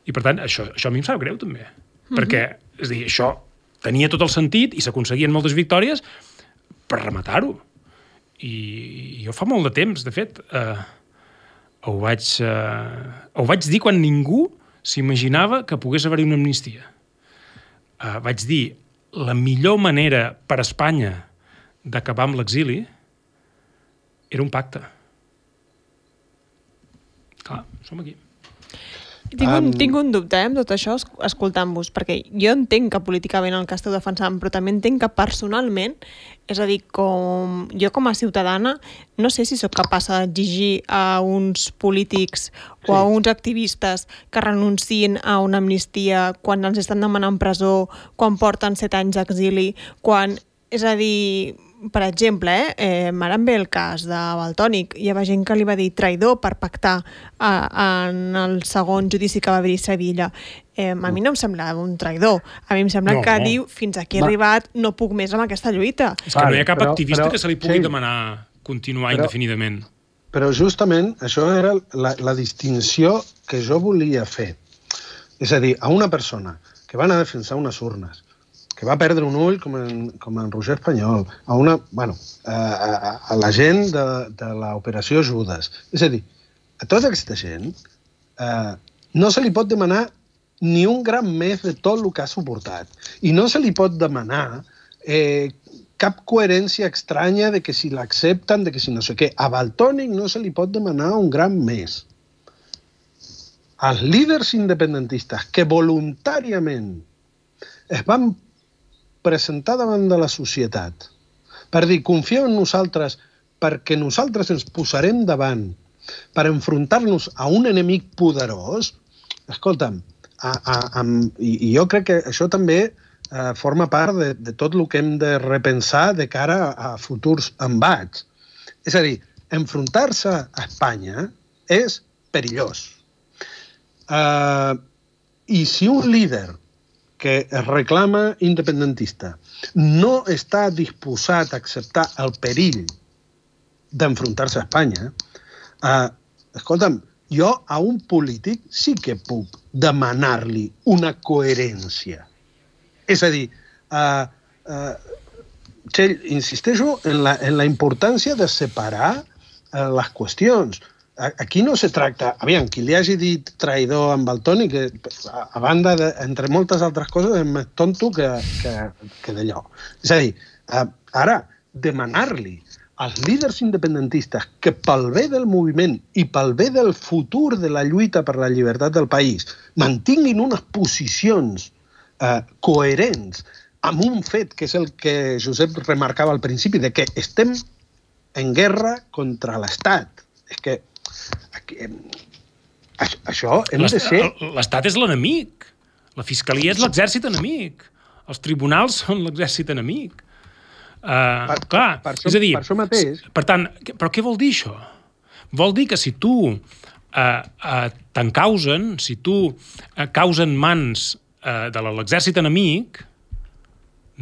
I per tant, això a mi em sap greu també, perquè és a dir, això tenia tot el sentit i s'aconseguien moltes victòries per rematar-ho. I jo fa molt de temps, de fet, ho vaig dir quan ningú s'imaginava que pogués haver-hi una amnistia. Vaig dir, la millor manera per a Espanya d'acabar amb l'exili era un pacte. Clar, som aquí. Tinc un dubte amb tot això, escoltant-vos, perquè jo entenc que políticament el que esteu defensant, però també entenc que personalment, és a dir, jo com a ciutadana, no sé si sóc capaç d'exigir a uns polítics o a uns activistes que renunciïn a una amnistia quan els estan demanant presó, quan porten 7 anys d'exili, quan... És a dir, per exemple, ara em ve el cas de Valtònyc. Hi havia gent que li va dir traïdor per pactar en el segon judici que va haver-hi a Sevilla. A mi no em sembla un traïdor. A mi em sembla que diu, fins aquí he arribat, no puc més amb aquesta lluita. És que no hi ha cap activista que se li pugui demanar continuar indefinidament. Però justament això era la distinció que jo volia fer. És a dir, a una persona que va anar a defensar unes urnes, que va perdre un ull com en Roger Espanyol, a la gent de l'operació Judes. És a dir, a tota aquesta gent no se li pot demanar ni un gram més de tot el que ha suportat. I no se li pot demanar cap coherència estranya de que si l'accepten, de que si no sé què. A Valtònyc no se li pot demanar un gram més. Els líders independentistes que voluntàriament es van presentar davant de la societat per dir, confieu en nosaltres perquè nosaltres ens posarem davant per enfrontar-nos a un enemic poderós, escolta'm, i jo crec que això també forma part de tot el que hem de repensar de cara a futurs embats. És a dir, enfrontar-se a Espanya és perillós. I si un líder que es reclama independentista no està disposat a acceptar el perill d'enfrontar-se a Espanya, escolta'm, jo a un polític sí que puc demanar-li una coherència. És a dir, Txell, insisteixo en la importància de separar les qüestions. Aquí no se tracta... Aviam, qui li hagi dit traïdor amb Valtònyc, a banda, entre moltes altres coses, és més tonto que d'allò. És a dir, ara, demanar-li als líders independentistes que pel bé del moviment i pel bé del futur de la lluita per la llibertat del país mantinguin unes posicions coherents amb un fet que és el que Josep remarcava al principi, de que estem en guerra contra l'Estat. És que això hem de ser... L'Estat és l'enemic. La Fiscalia és l'exèrcit enemic. Els tribunals són l'exèrcit enemic. És a dir, per això mateix... Per tant, però què vol dir això? Vol dir que si tu t'encausen, si tu causen mans de l'exèrcit enemic,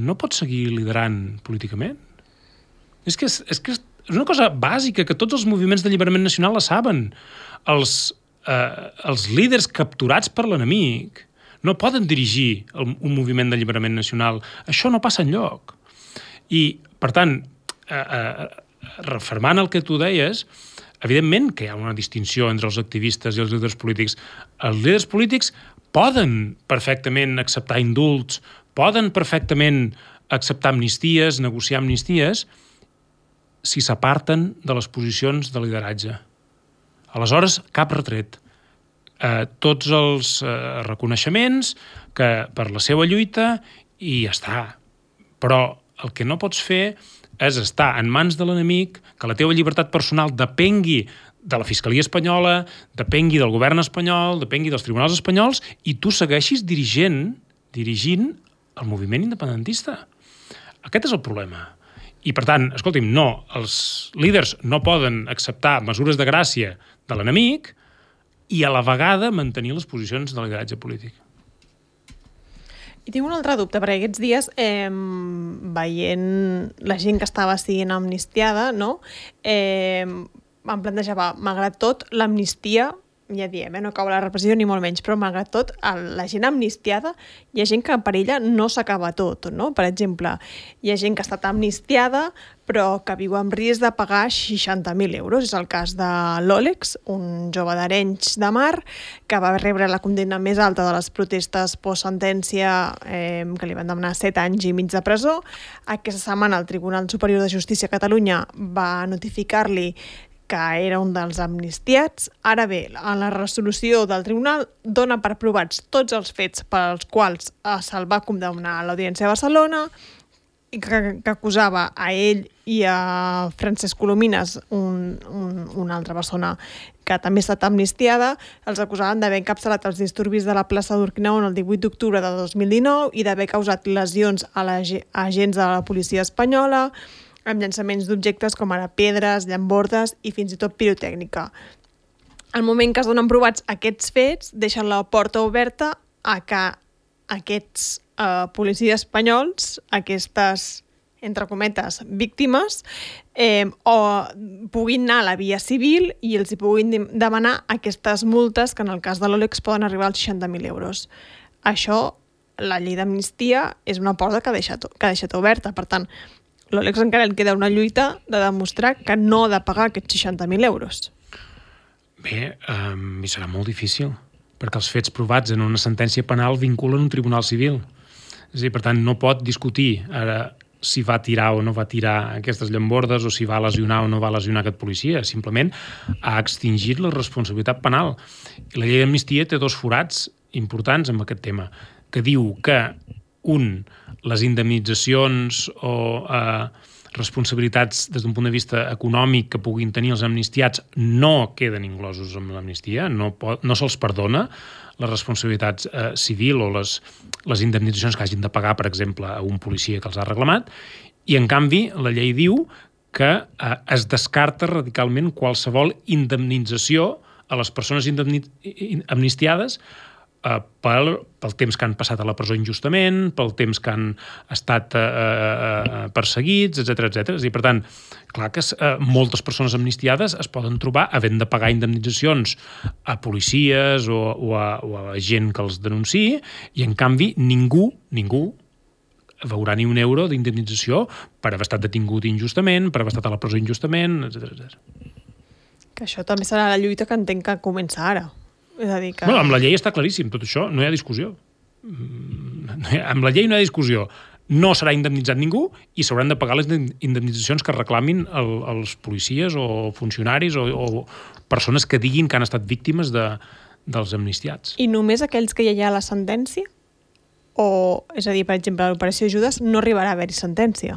no pots seguir liderant políticament. És que és una cosa bàsica que tots els moviments d'alliberament nacional la saben. Els líders capturats per l'enemic no poden dirigir un moviment d'alliberament nacional. Això no passa enlloc. I, per tant, refermant el que tu deies, evidentment que hi ha una distinció entre els activistes i els líders polítics. Els líders polítics poden perfectament acceptar indults, poden perfectament acceptar amnisties, negociar amnisties, si s'aparten de les posicions de lideratge. Aleshores, cap retret. Tots els reconeixements per la seva lluita i ja està. Però el que no pots fer és estar en mans de l'enemic, que la teva llibertat personal depengui de la Fiscalia espanyola, depengui del govern espanyol, depengui dels tribunals espanyols, i tu segueixis dirigint el moviment independentista. Aquest és el problema. I, per tant, escolti'm, no, els líders no poden acceptar mesures de gràcia de l'enemic i a la vegada mantenir les posicions de lideratge polític. I tinc un altre dubte, perquè aquests dies, veient la gent que estava sent amnistiada, no? Em plantejava, malgrat tot, l'amnistia, ja diem, no cau la repressió ni molt menys, però malgrat tot, la gent amnistiada, hi ha gent que per ella no s'acaba tot, no? Per exemple, hi ha gent que ha estat amnistiada, però que viu amb risc de pagar 60.000 euros. És el cas de l'Òlex, un jove d'Arenys de Mar, que va rebre la condemna més alta de les protestes post-sentència, que li van demanar 7 anys i mig de presó. Aquesta setmana el Tribunal Superior de Justícia a Catalunya va notificar-li que era un dels amnistiats. Ara bé, en la resolució del tribunal dona per provats tots els fets pels quals se'l va condemnar a l'Audiència de Barcelona, i que acusava a ell i a Francesc Colomines, una altra persona que també ha estat amnistiada. Els acusaven d'haver encapçalat els disturbis de la plaça d'Urquinaona el 18 d'octubre de 2019 i d'haver causat lesions a agents de la policia espanyola, amb llançaments d'objectes com ara pedres, llambordes i fins i tot pirotècnica. Al moment que es donen provats aquests fets, deixen la porta oberta a que aquests policies espanyols, aquestes, entre cometes, víctimes, o puguin anar a la via civil i els hi puguin demanar aquestes multes que en el cas de l'Òlex poden arribar als 60.000 euros. Això, la llei d'amnistia, és una porta que ha deixat oberta. Per tant, l'Òlex encara li queda una lluita de demostrar que no ha de pagar aquests 60.000 euros. Bé, i serà molt difícil, perquè els fets provats en una sentència penal vinculen un tribunal civil. És a dir, per tant, no pot discutir ara si va tirar o no va tirar aquestes llambordes o si va lesionar o no va lesionar aquest policia. Simplement ha extingit la responsabilitat penal. I la llei d'amnistia té 2 forats importants en aquest tema, que diu que, les indemnitzacions o responsabilitats des d'un punt de vista econòmic que puguin tenir els amnistiats no queden inclosos amb l'amnistia, no se'ls perdona la responsabilitat civil o les indemnitzacions que hagin de pagar, per exemple, a un policia que els ha reclamat, i en canvi la llei diu que es descarta radicalment qualsevol indemnització a les persones amnistiades pel temps que han passat a la presó injustament, pel temps que han estat perseguits, etc. És a dir, per tant, clar que moltes persones amnistiades es poden trobar havent de pagar indemnitzacions a policies o a gent que els denunciï, i en canvi ningú veurà ni un euro d'indemnització per haver estat detingut injustament, per haver estat a la presó injustament, etc. Que això també serà la lluita que entenc que comença ara. És a dir que... Bueno, amb la llei està claríssim tot això, no hi ha discussió. Amb la llei no hi ha discussió. No serà indemnitzat ningú i s'hauran de pagar les indemnitzacions que reclamin els policies o funcionaris o persones que diguin que han estat víctimes dels amnistiats. I només aquells que ja hi ha la sentència? O, és a dir, per exemple, l'operació Judes no arribarà a haver-hi sentència?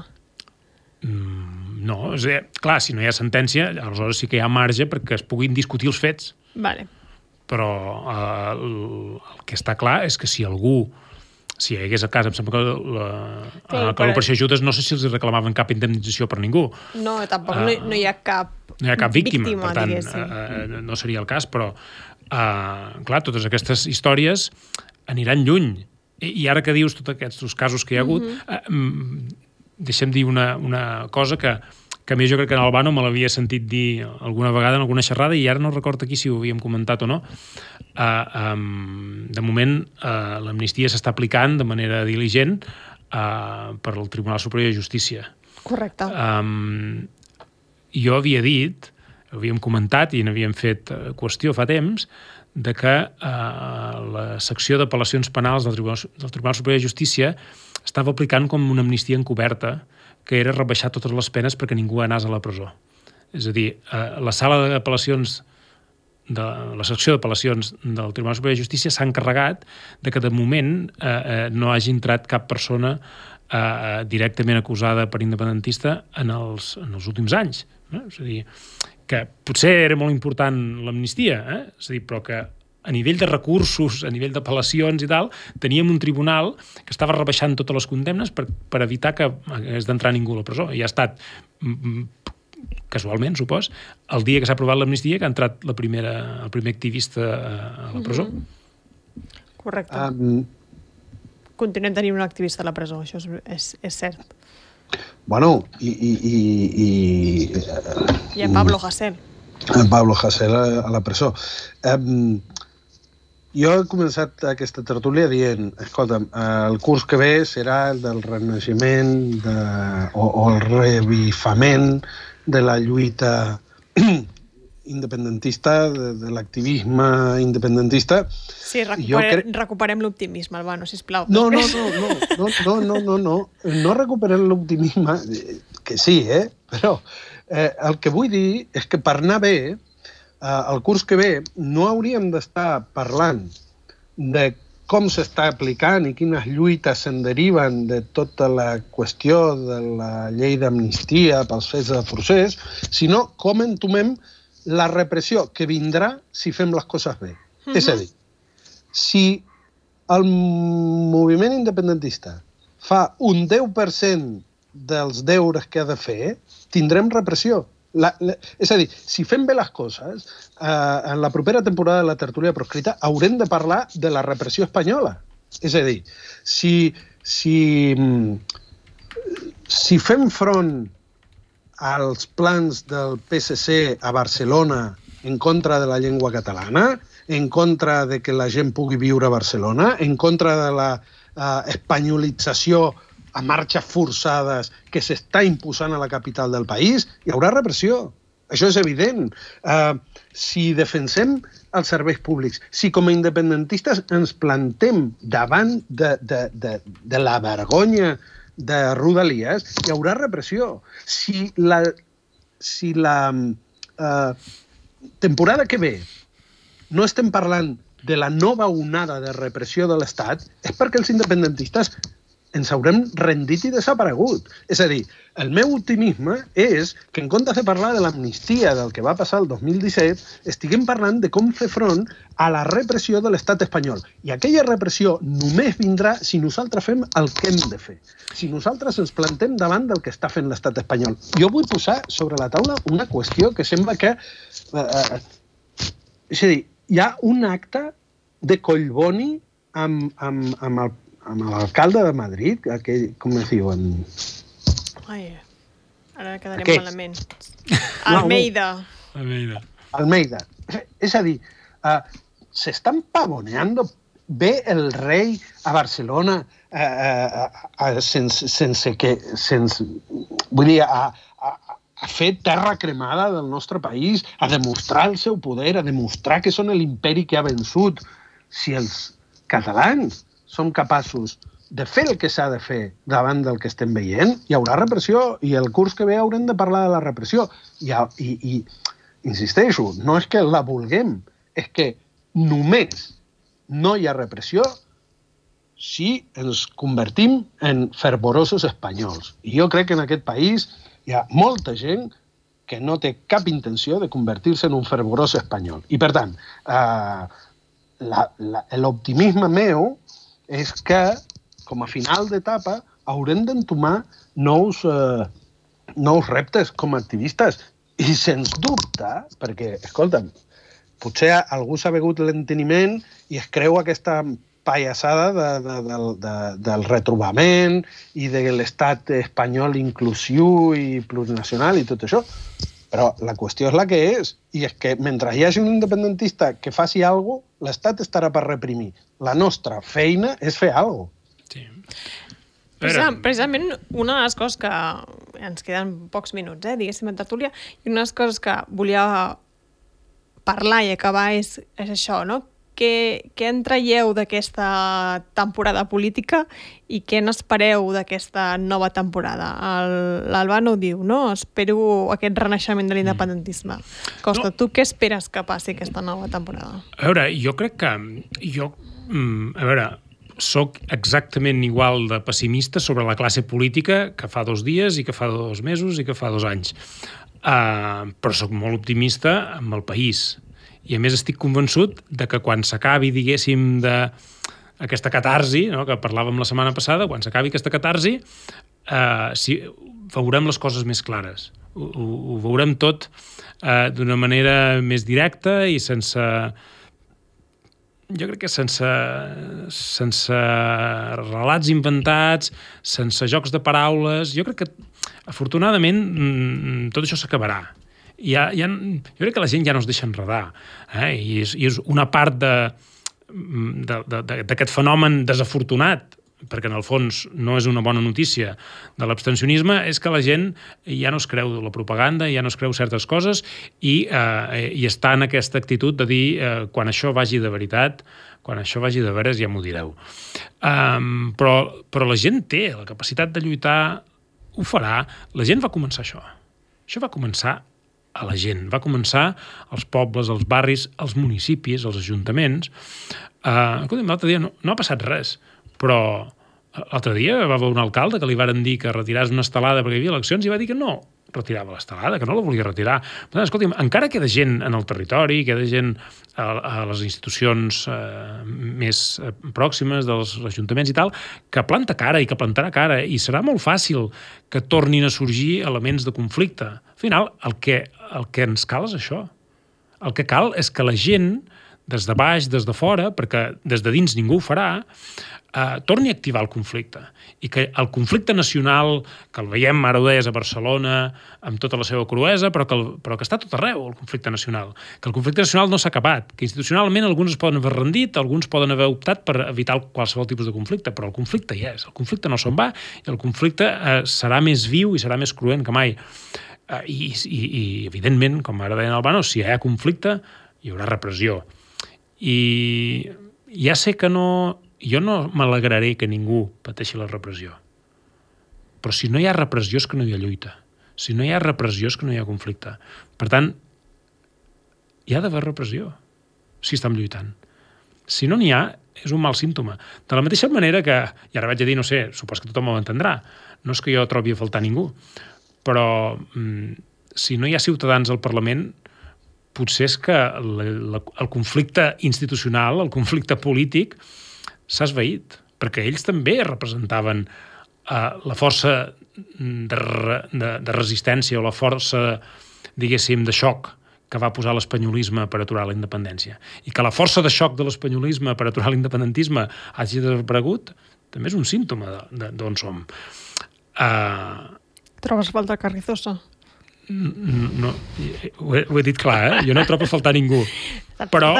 No, és a dir, clar, si no hi ha sentència, aleshores sí que hi ha marge perquè es puguin discutir els fets. Vale. Però el que està clar és que si hi hagués el cas, em sembla que l'operació Judes no sé si els reclamaven cap indemnització per ningú. No, tampoc no hi ha cap víctima, per tant, no seria el cas, però clar, totes aquestes històries aniran lluny. I ara que dius tots aquests casos que hi ha hagut, deixa'm dir una cosa que a mi jo crec que en Albano me l'havia sentit dir alguna vegada en alguna xerrada i ara no recordo aquí si ho havíem comentat o no. De moment, l'amnistia s'està aplicant de manera diligent per al Tribunal Superior de Justícia. Correcte. Jo havia dit, havíem comentat i n'havíem fet qüestió fa temps, de que la secció d'apel·lacions penals del Tribunal Superior de Justícia estava aplicant com una amnistia encoberta que era rebaixar totes les penes perquè ningú anés a la presó. És a dir, la sala d'apel·lacions, la secció d'apel·lacions del Tribunal Superior de Justícia s'ha encarregat de que de moment no hagi entrat cap persona directament acusada per independentista en els últims anys. És a dir, que potser era molt important l'amnistia, és a dir, però que a nivell de recursos, a nivell d'apel·lacions i tal, teníem un tribunal que estava rebaixant totes les condemnes per evitar que hagués d'entrar ningú a la presó. I ha estat, casualment, supos, el dia que s'ha aprovat l'amnistia que ha entrat el primer activista a la presó. Correcte. Continuem tenint un activista a la presó, això és cert. Bueno, I a Pablo Hasél. Pablo Hasél a la presó. Jo he començat aquesta tertúlia dient, escolta'm, el curs que ve serà el del renaixement o el revifament de la lluita independentista, de l'activisme independentista. Sí, recuperem l'optimisme, Albano, sisplau. No recuperem l'optimisme, que sí, però el que vull dir és que per anar bé, el curs que ve no hauríem d'estar parlant de com s'està aplicant i quines lluites se'n deriven de tota la qüestió de la llei d'amnistia pels fets de procés, sinó com entomem la repressió que vindrà si fem les coses bé. És a dir, si el moviment independentista fa un 10% dels deures que ha de fer, tindrem repressió. És a dir, si fem bé les coses, en la propera temporada de la tertúlia proscrita haurem de parlar de la repressió espanyola. És a dir, si fem front als plans del PSC a Barcelona en contra de la llengua catalana, en contra de que la gent pugui viure a Barcelona, en contra de la espanyolització a marxes forçades que s'està imposant a la capital del país, hi haurà repressió. Això és evident. Si defensem els serveis públics, si com a independentistes ens plantem davant de la vergonya de Rodalies, hi haurà repressió. Si la temporada que ve no estem parlant de la nova onada de repressió de l'Estat, és perquè els independentistes ens haurem rendit i desaparegut. És a dir, el meu optimisme és que en comptes de parlar de l'amnistia del que va passar el 2017, estiguem parlant de com fer front a la repressió de l'estat espanyol. I aquella repressió només vindrà si nosaltres fem el que hem de fer. Si nosaltres ens plantem davant del que està fent l'estat espanyol. Jo vull posar sobre la taula una qüestió que sembla que... és a dir, hi ha un acte de Collboni amb l'alcalde de Madrid, aquell, com es diuen? Ai, ara quedarem malament. Almeida. És a dir, s'estan pavoneando. Ve el rei a Barcelona a fer terra cremada del nostre país, a demostrar el seu poder, a demostrar que són l'imperi que ha vençut. Si els catalans som capaços de fer el que s'ha de fer davant del que estem veient, hi haurà repressió i el curs que ve haurem de parlar de la repressió. I insisteixo, no és que la vulguem, és que només no hi ha repressió si ens convertim en fervorosos espanyols. I jo crec que en aquest país hi ha molta gent que no té cap intenció de convertir-se en un fervorós espanyol. I, per tant, l'optimisme meu és que, com a final d'etapa, haurem d'entomar nous reptes com a activistes. I, sens dubte, perquè, escolta'm, potser algú s'ha begut l'enteniment i es creu aquesta pallassada del retrobament i de l'estat espanyol inclusiu i plurinacional i tot això. Però la qüestió és la que és. I és que mentre hi hagi un independentista que faci alguna cosa, l'Estat estarà per reprimir. La nostra feina és fer alguna cosa. Sí. Precisament una de les coses que ens queden pocs minuts, diguéssim, en tertúlia, i una de les coses que volia parlar i acabar és això, no? què en traieu d'aquesta temporada política i què n'espereu d'aquesta nova temporada? L'Albano diu, no? Espero aquest renaixement de l'independentisme. Costa, tu què esperes que passi aquesta nova temporada? A veure, jo crec que... soc exactament igual de pessimista sobre la classe política que fa 2 dies i que fa 2 mesos i que fa 2 anys. Però soc molt optimista amb el país. I a més estic convençut de que quan s'acabi, diguéssim, aquesta catarsi, no, que parlàvem la setmana passada, quan s'acabi aquesta catarsi, veurem les coses més clares. Ho veurem tot d'una manera més directa i sense... Jo crec que sense relats inventats, sense jocs de paraules... Jo crec que, afortunadament, tot això s'acabarà. Jo crec que la gent ja no es deixa enredar. I és una part d'aquest fenomen desafortunat, perquè en el fons no és una bona notícia de l'abstencionisme, és que la gent ja no es creu la propaganda, ja no es creu certes coses i està en aquesta actitud de dir quan això vagi de veritat, quan això vagi de veres ja m'ho direu. Però la gent té la capacitat de lluitar, ho farà. La gent va començar això. Això va començar a la gent. Va començar als pobles, als barris, als municipis, als ajuntaments. L'altre dia no ha passat res, però l'altre dia va haver un alcalde que li varen dir que retiràs una estelada perquè hi havia eleccions i va dir que no retirava l'estelada, que no la volia retirar. Per tant, escolti'm, encara queda gent en el territori, queda gent a les institucions més pròximes dels ajuntaments i tal, que planta cara i que plantarà cara, i serà molt fàcil que tornin a sorgir elements de conflicte. Al final, el que ens cal és això. El que cal és que la gent, des de baix, des de fora, perquè des de dins ningú ho farà, torni a activar el conflicte. I que el conflicte nacional, que el veiem, ara ho deies, a Barcelona, amb tota la seva cruesa, però que està tot arreu, el conflicte nacional. Que el conflicte nacional no s'ha acabat, que institucionalment alguns es poden haver rendit, alguns poden haver optat per evitar qualsevol tipus de conflicte, però el conflicte hi és. El conflicte no se'n va i el conflicte serà més viu i serà més cruent que mai. I evidentment, com ara deien Albano, si hi ha conflicte, hi haurà repressió. I ja sé que jo no m'alegraré que ningú pateixi la repressió. Però si no hi ha repressió és que no hi ha lluita. Si no hi ha repressió és que no hi ha conflicte. Per tant, hi ha d'haver repressió si estem lluitant. Si no n'hi ha, és un mal símptoma. De la mateixa manera que, i ara vaig a dir, no sé, supos que tothom ho entendrà, no és que jo trobi a faltar ningú, però si no hi ha ciutadans al Parlament, potser és que el conflicte institucional, el conflicte polític, s'ha esvaït, perquè ells també representaven la força de resistència o la força, diguéssim, de xoc que va posar l'espanyolisme per aturar la independència. I que la força de xoc de l'espanyolisme per aturar l'independentisme hagi desaparegut, també és un símptoma d'on som. Trobes falta Carrizosa? No, ho he dit clar, jo no trobo a faltar ningú. Però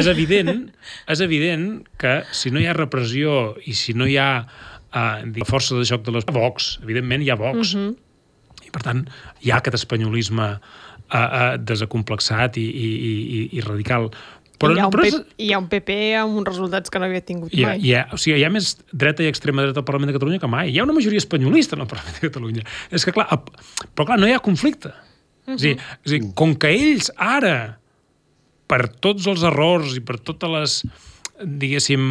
és evident que si no hi ha repressió i si no hi ha força de joc de les... Vox, evidentment hi ha Vox. I per tant hi ha aquest espanyolisme desacomplexat i radical. Però hi ha un PP amb uns resultats que no havia tingut mai. Hi ha més dreta i extrema dreta al Parlament de Catalunya que mai. Hi ha una majoria espanyolista en el Parlament de Catalunya. És que, però clar, no hi ha conflicte. És a dir, com que ells ara, per tots els errors i per totes les, diguéssim,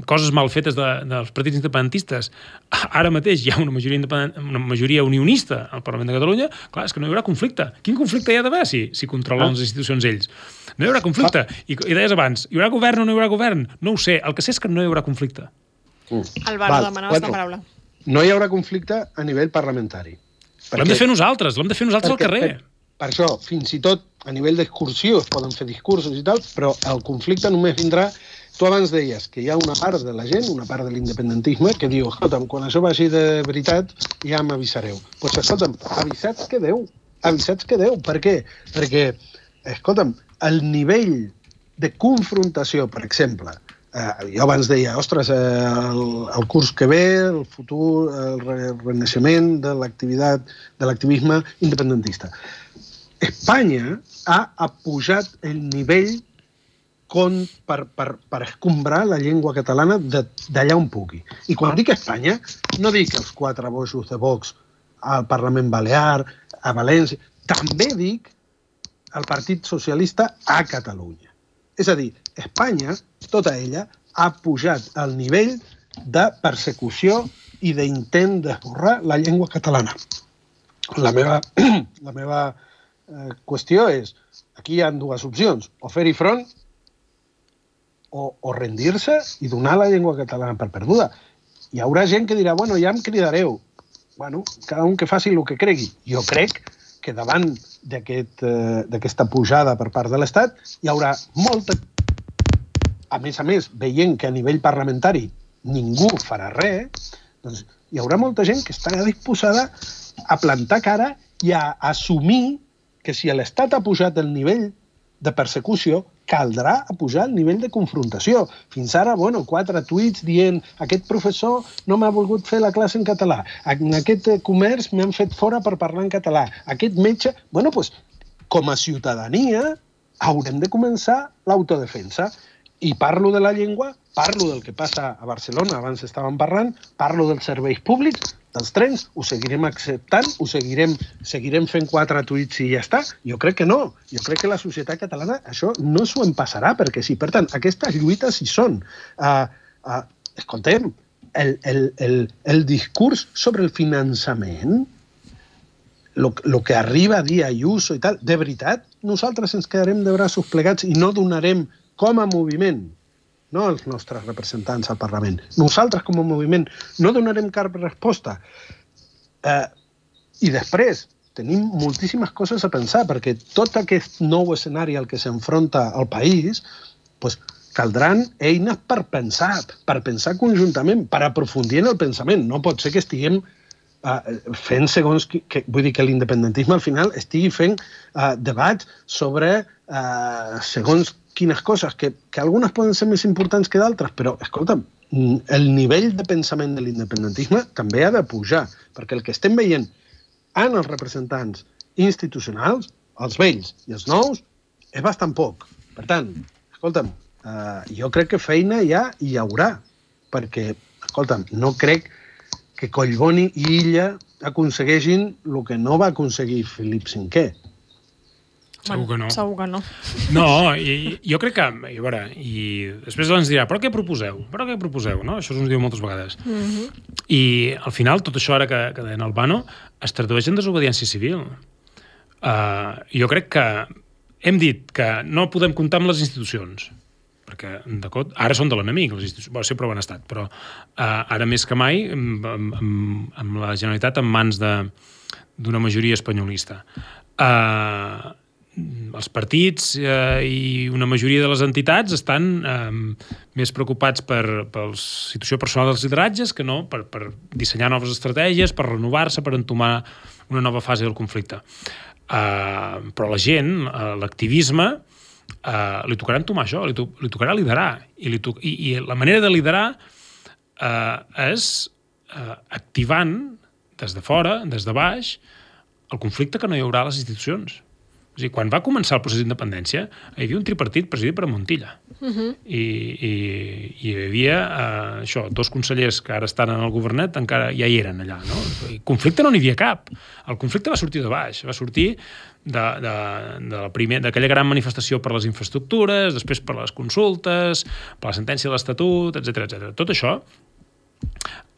coses mal fetes dels partits independentistes, ara mateix hi ha una majoria unionista al Parlament de Catalunya, clar, és que no hi haurà conflicte. Quin conflicte hi ha d'haver si controlen les institucions ells? No hi haurà conflicte. I deies abans, hi haurà govern o no hi haurà govern? No ho sé. El que sé és que no hi haurà conflicte. Álvaro, demanaves la paraula. No hi haurà conflicte a nivell parlamentari. L'hem de fer nosaltres al carrer. Per això, fins i tot a nivell d'excursió es poden fer discursos i tal, però el conflicte només vindrà. Tu abans deies que hi ha una part de la gent, una part de l'independentisme, que diu, escolta'm, quan això vagi de veritat ja m'avisareu. Doncs escolta'm, avisats quedeu. Per què? Perquè, escolta'm, el nivell de confrontació, per exemple, jo abans deia, ostres, el curs que ve, el futur, el renaixement de l'activisme independentista. Espanya ha pujat el nivell per escombrar la llengua catalana d'allà on pugui. I quan dic Espanya, no dic els 4 bojos de Vox al Parlament Balear, a València, també dic el Partit Socialista a Catalunya. És a dir, Espanya, tota ella, ha pujat al nivell de persecució i d'intent d'esborrar la llengua catalana. La meva qüestió és, aquí hi ha 2 opcions, o fer-hi front o rendir-se i donar la llengua catalana per perduda. Hi haurà gent que dirà, bueno, ja em cridareu. Bueno, cada un que faci el que cregui. Jo crec que davant d'aquesta pujada per part de l'Estat hi haurà molta... A més, veient que a nivell parlamentari ningú farà res, doncs hi haurà molta gent que estarà disposada a plantar cara i a assumir que si l'Estat ha pujat el nivell de persecució, caldrà pujar el nivell de confrontació. Fins ara, 4 tuits dient aquest professor no m'ha volgut fer la classe en català, en aquest comerç m'han fet fora per parlar en català, aquest metge... Com a ciutadania haurem de començar l'autodefensa. I parlo de la llengua, parlo del que passa a Barcelona, abans estàvem parlant, parlo dels serveis públics, dels trens, ho seguirem acceptant, seguirem fent 4 tuits i ja està? Jo crec que no. Jo crec que la societat catalana això no s'ho en passarà, perquè sí. Per tant, aquestes lluites hi són. Escoltem, el discurs sobre el finançament, el que arriba a dir Ayuso i tal, de veritat, nosaltres ens quedarem de braços plegats i no donarem com a moviment, no els nostres representants al Parlament, nosaltres com a moviment no donarem cap resposta. I després tenim moltíssimes coses a pensar, perquè tot aquest nou escenari al que s'enfronta el país, caldran eines per pensar conjuntament, per aprofundir en el pensament. No pot ser que estiguem fent segons... Vull dir que l'independentisme al final estigui fent debats sobre segons quines coses, que algunes poden ser més importants que d'altres, però, escolta'm, el nivell de pensament de l'independentisme també ha de pujar, perquè el que estem veient en els representants institucionals, els vells i els nous, és bastant poc. Per tant, escolta'm, jo crec que feina ja hi haurà, perquè, escolta'm, no crec que Collboni i Illa aconsegueixin el que no va aconseguir Felip V. Segur que no. Segur que no. No, i jo crec que... I a veure, i després ens dirà, però què proposeu? No? Això ens ho diu moltes vegades. I al final, tot això ara que deia Albano, es tradueix en desobediència civil. Jo crec que hem dit que no podem comptar amb les institucions, perquè ara són de l'enemic, les institucions, sempre ho han estat, però ara més que mai, amb la Generalitat en mans d'una majoria espanyolista. Els partits i una majoria de les entitats estan més preocupats per la situació personal dels lideratges que no per dissenyar noves estratègies, per renovar-se, per entomar una nova fase del conflicte. Però la gent, l'activisme, li tocarà entomar això, li tocarà liderar. I la manera de liderar és activant des de fora, des de baix, el conflicte que no hi haurà a les institucions. O sigui, quan va començar el procés d'independència, hi havia un tripartit presidit per Montilla. I hi havia 2 consellers que ara estan en el governet, encara ja hi eren allà. No? El conflicte no n'hi havia cap. El conflicte va sortir de baix, va sortir d'aquella gran manifestació per les infraestructures, després per les consultes, per la sentència de l'Estatut, etc. Tot això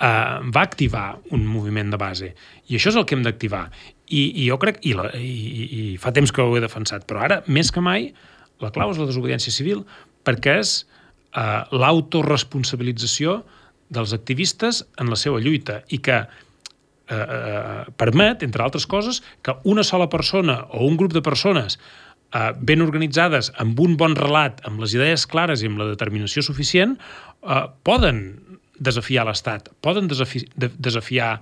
va activar un moviment de base. I això és el que hem d'activar. I jo crec, i fa temps que ho he defensat, però ara, més que mai, la clau és la desobediència civil, perquè és l'autoresponsabilització dels activistes en la seva lluita i que permet, entre altres coses, que una sola persona o un grup de persones ben organitzades, amb un bon relat, amb les idees clares i amb la determinació suficient, poden desafiar l'Estat, poden desafiar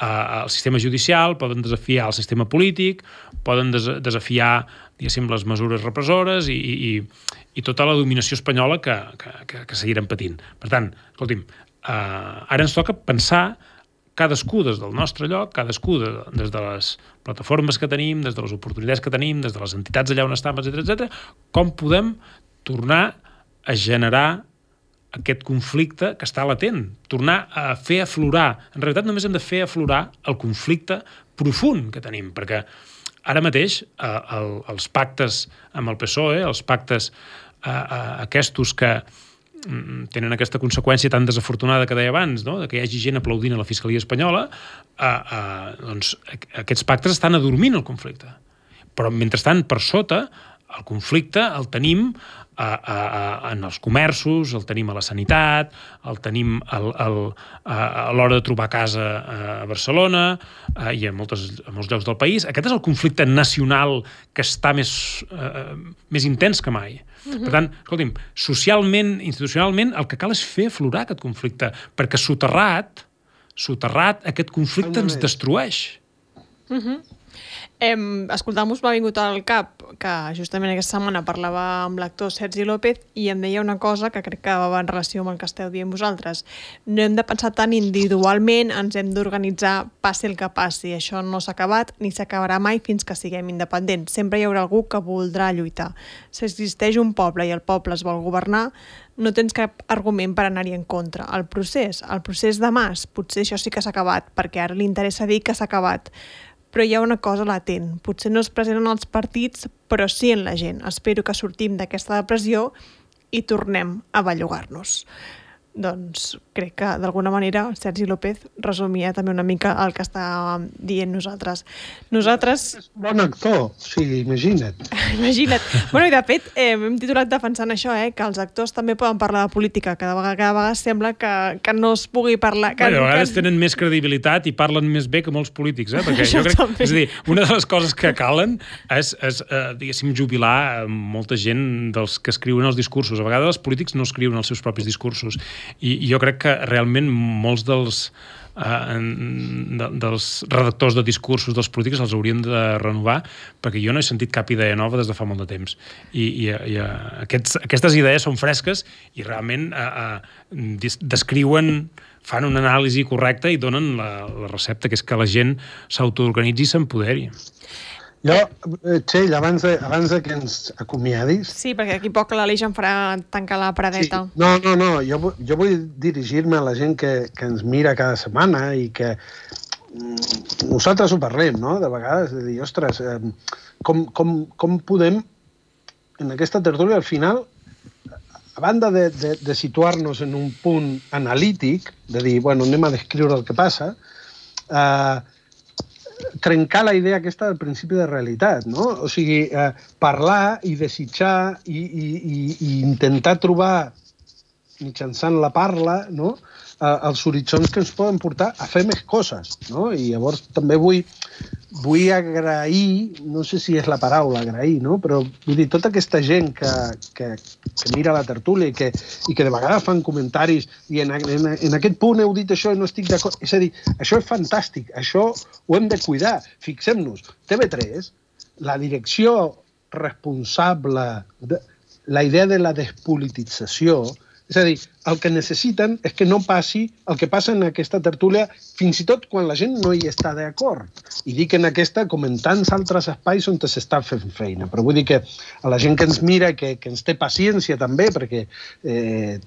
el sistema judicial, poden desafiar el sistema polític, poden desafiar, diguéssim, les mesures repressores i tota la dominació espanyola que seguirem patint. Per tant, escolti'm, ara ens toca pensar cadascú des del nostre lloc, cadascú des de les plataformes que tenim, des de les oportunitats que tenim, des de les entitats allà on estem, etc., com podem tornar a generar aquest conflicte que està latent, tornar a fer aflorar. En realitat només hem de fer aflorar el conflicte profund que tenim, perquè ara mateix els pactes amb el PSOE, els pactes aquests que tenen aquesta conseqüència tan desafortunada que deia abans, no? Que hi hagi gent aplaudint a la Fiscalia espanyola, doncs aquests pactes estan adormint el conflicte. Però, mentrestant, per sota, el conflicte el tenim en els comerços, el tenim a la sanitat, el tenim a l'hora de trobar casa a Barcelona i a molts llocs del país. Aquest és el conflicte nacional que està més intens que mai. Per tant, escolti'm, socialment, institucionalment, el que cal és fer aflorar aquest conflicte, perquè soterrat, aquest conflicte ens destrueix. Escoltant-vos m'ha vingut al cap que justament aquesta setmana parlava amb l'actor Sergi López i em deia una cosa que crec que va en relació amb el que esteu dient vosaltres. No hem de pensar tant individualment, ens hem d'organitzar passi el que passi. Això no s'ha acabat ni s'acabarà mai fins que siguem independents. Sempre hi haurà algú que voldrà lluitar. Si existeix un poble i el poble es vol governar, no tens cap argument per anar-hi en contra. El procés de Mas, potser això sí que s'ha acabat, perquè ara li interessa dir que s'ha acabat. Però hi ha una cosa latent. Potser no és present en els partits, però sí en la gent. Espero que sortim d'aquesta depressió i tornem a bellugar-nos. Doncs crec que d'alguna manera Sergi López resumia també una mica el que estàvem dient nosaltres. És bon actor, o sigui, imagina't. Imagina't. Bueno, i de fet, hem titulat defensant això, que els actors també poden parlar de política, que cada vegada sembla que no es pugui parlar... A vegades tenen més credibilitat i parlen més bé que molts polítics, perquè jo crec... És a dir, una de les coses que calen és diguéssim, jubilar molta gent dels que escriuen els discursos. A vegades els polítics no escriuen els seus propis discursos. I jo crec que realment molts dels redactors de discursos dels polítics els hauríem de renovar, perquè jo no he sentit cap idea nova des de fa molt de temps. I aquestes idees són fresques i realment descriuen, fan una anàlisi correcta i donen la recepta, que és que la gent s'autoorganitzi i s'empoderi. Jo, Txell, abans de que ens acomiadis... Sí, perquè aquí poc l'Aleix em farà tancar la paradeta. Sí. No, jo vull dirigir-me a la gent que ens mira cada setmana i que nosaltres ho parlem, no?, de vegades, de dir, ostres, com podem, en aquesta tertúlia, al final, a banda de situar-nos en un punt analític, de dir, bueno, anem a descriure el que passa, trencar la idea aquesta del principi de realitat, no? O sigui, parlar i desitjar i intentar trobar, mitjançant la parla, no?, els horitzons que ens poden portar a fer més coses, no? I llavors també vull agrair, no sé si és la paraula agrair, no?, però vull dir, tota aquesta gent que mira la tertúlia i que de vegades fan comentaris i en aquest punt heu dit això i no estic d'acord. És a dir, això és fantàstic, això ho hem de cuidar. Fixem-nos, TV3, la direcció responsable, la idea de la despolitització, és a dir, el que necessiten és que no passi el que passa en aquesta tertúlia, fins i tot quan la gent no hi està d'acord. I dic en aquesta com en tants altres espais on s'està fent feina. Però vull dir que a la gent que ens mira, que ens té paciència també, perquè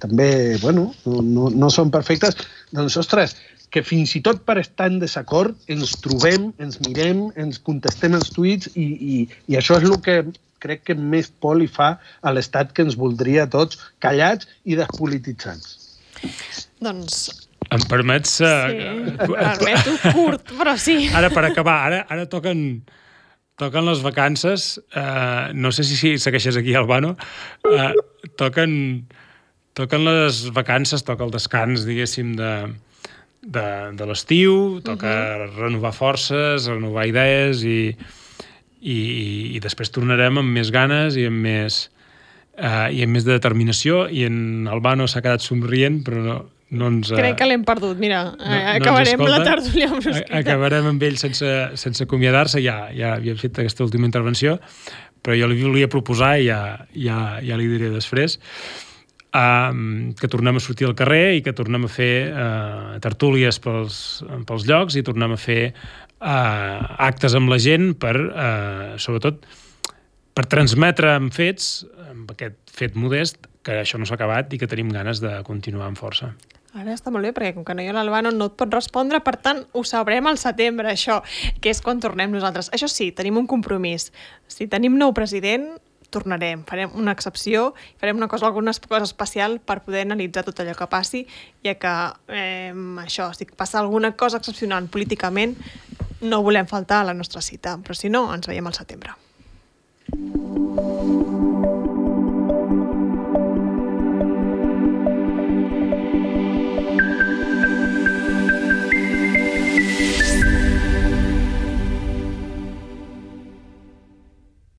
també, bueno, no són perfectes, doncs, ostres, que fins i tot per estar en desacord ens trobem, ens mirem, ens contestem els tuits i això és el que crec que més por li fa a l'Estat, que ens voldria tots callats i despolititzats. Doncs... Em permets... Sí, permeto curt, però sí. Ara, per acabar, ara toquen les vacances, no sé si segueixes aquí, Albano, toquen les vacances, toca el descans, diguéssim, de l'estiu, toca renovar forces, renovar idees i després tornarem amb més ganes i amb més determinació, i en Albano s'ha quedat somrient, però no ens... Crec que l'hem perdut, mira, acabarem la tertúlia amb l'hospital. Acabarem amb ell sense acomiadar-se, ja havia fet aquesta última intervenció, però jo li volia proposar, i ja li diré després, que tornem a sortir al carrer i que tornem a fer tertúlies pels llocs i tornem a fer actes amb la gent sobretot per transmetre amb fets, amb aquest fet modest, que això no s'ha acabat i que tenim ganes de continuar amb força. Ara està molt bé, perquè com que no hi ha l'Albano no et pot respondre, per tant, ho sabrem al setembre, això, que és quan tornem nosaltres. Això sí, tenim un compromís. Si tenim nou president, tornarem, farem una excepció, farem alguna cosa especial per poder analitzar tot allò que passi, ja que això, si passa alguna cosa excepcional políticament, no volem faltar a la nostra cita, però si no, ens veiem al setembre.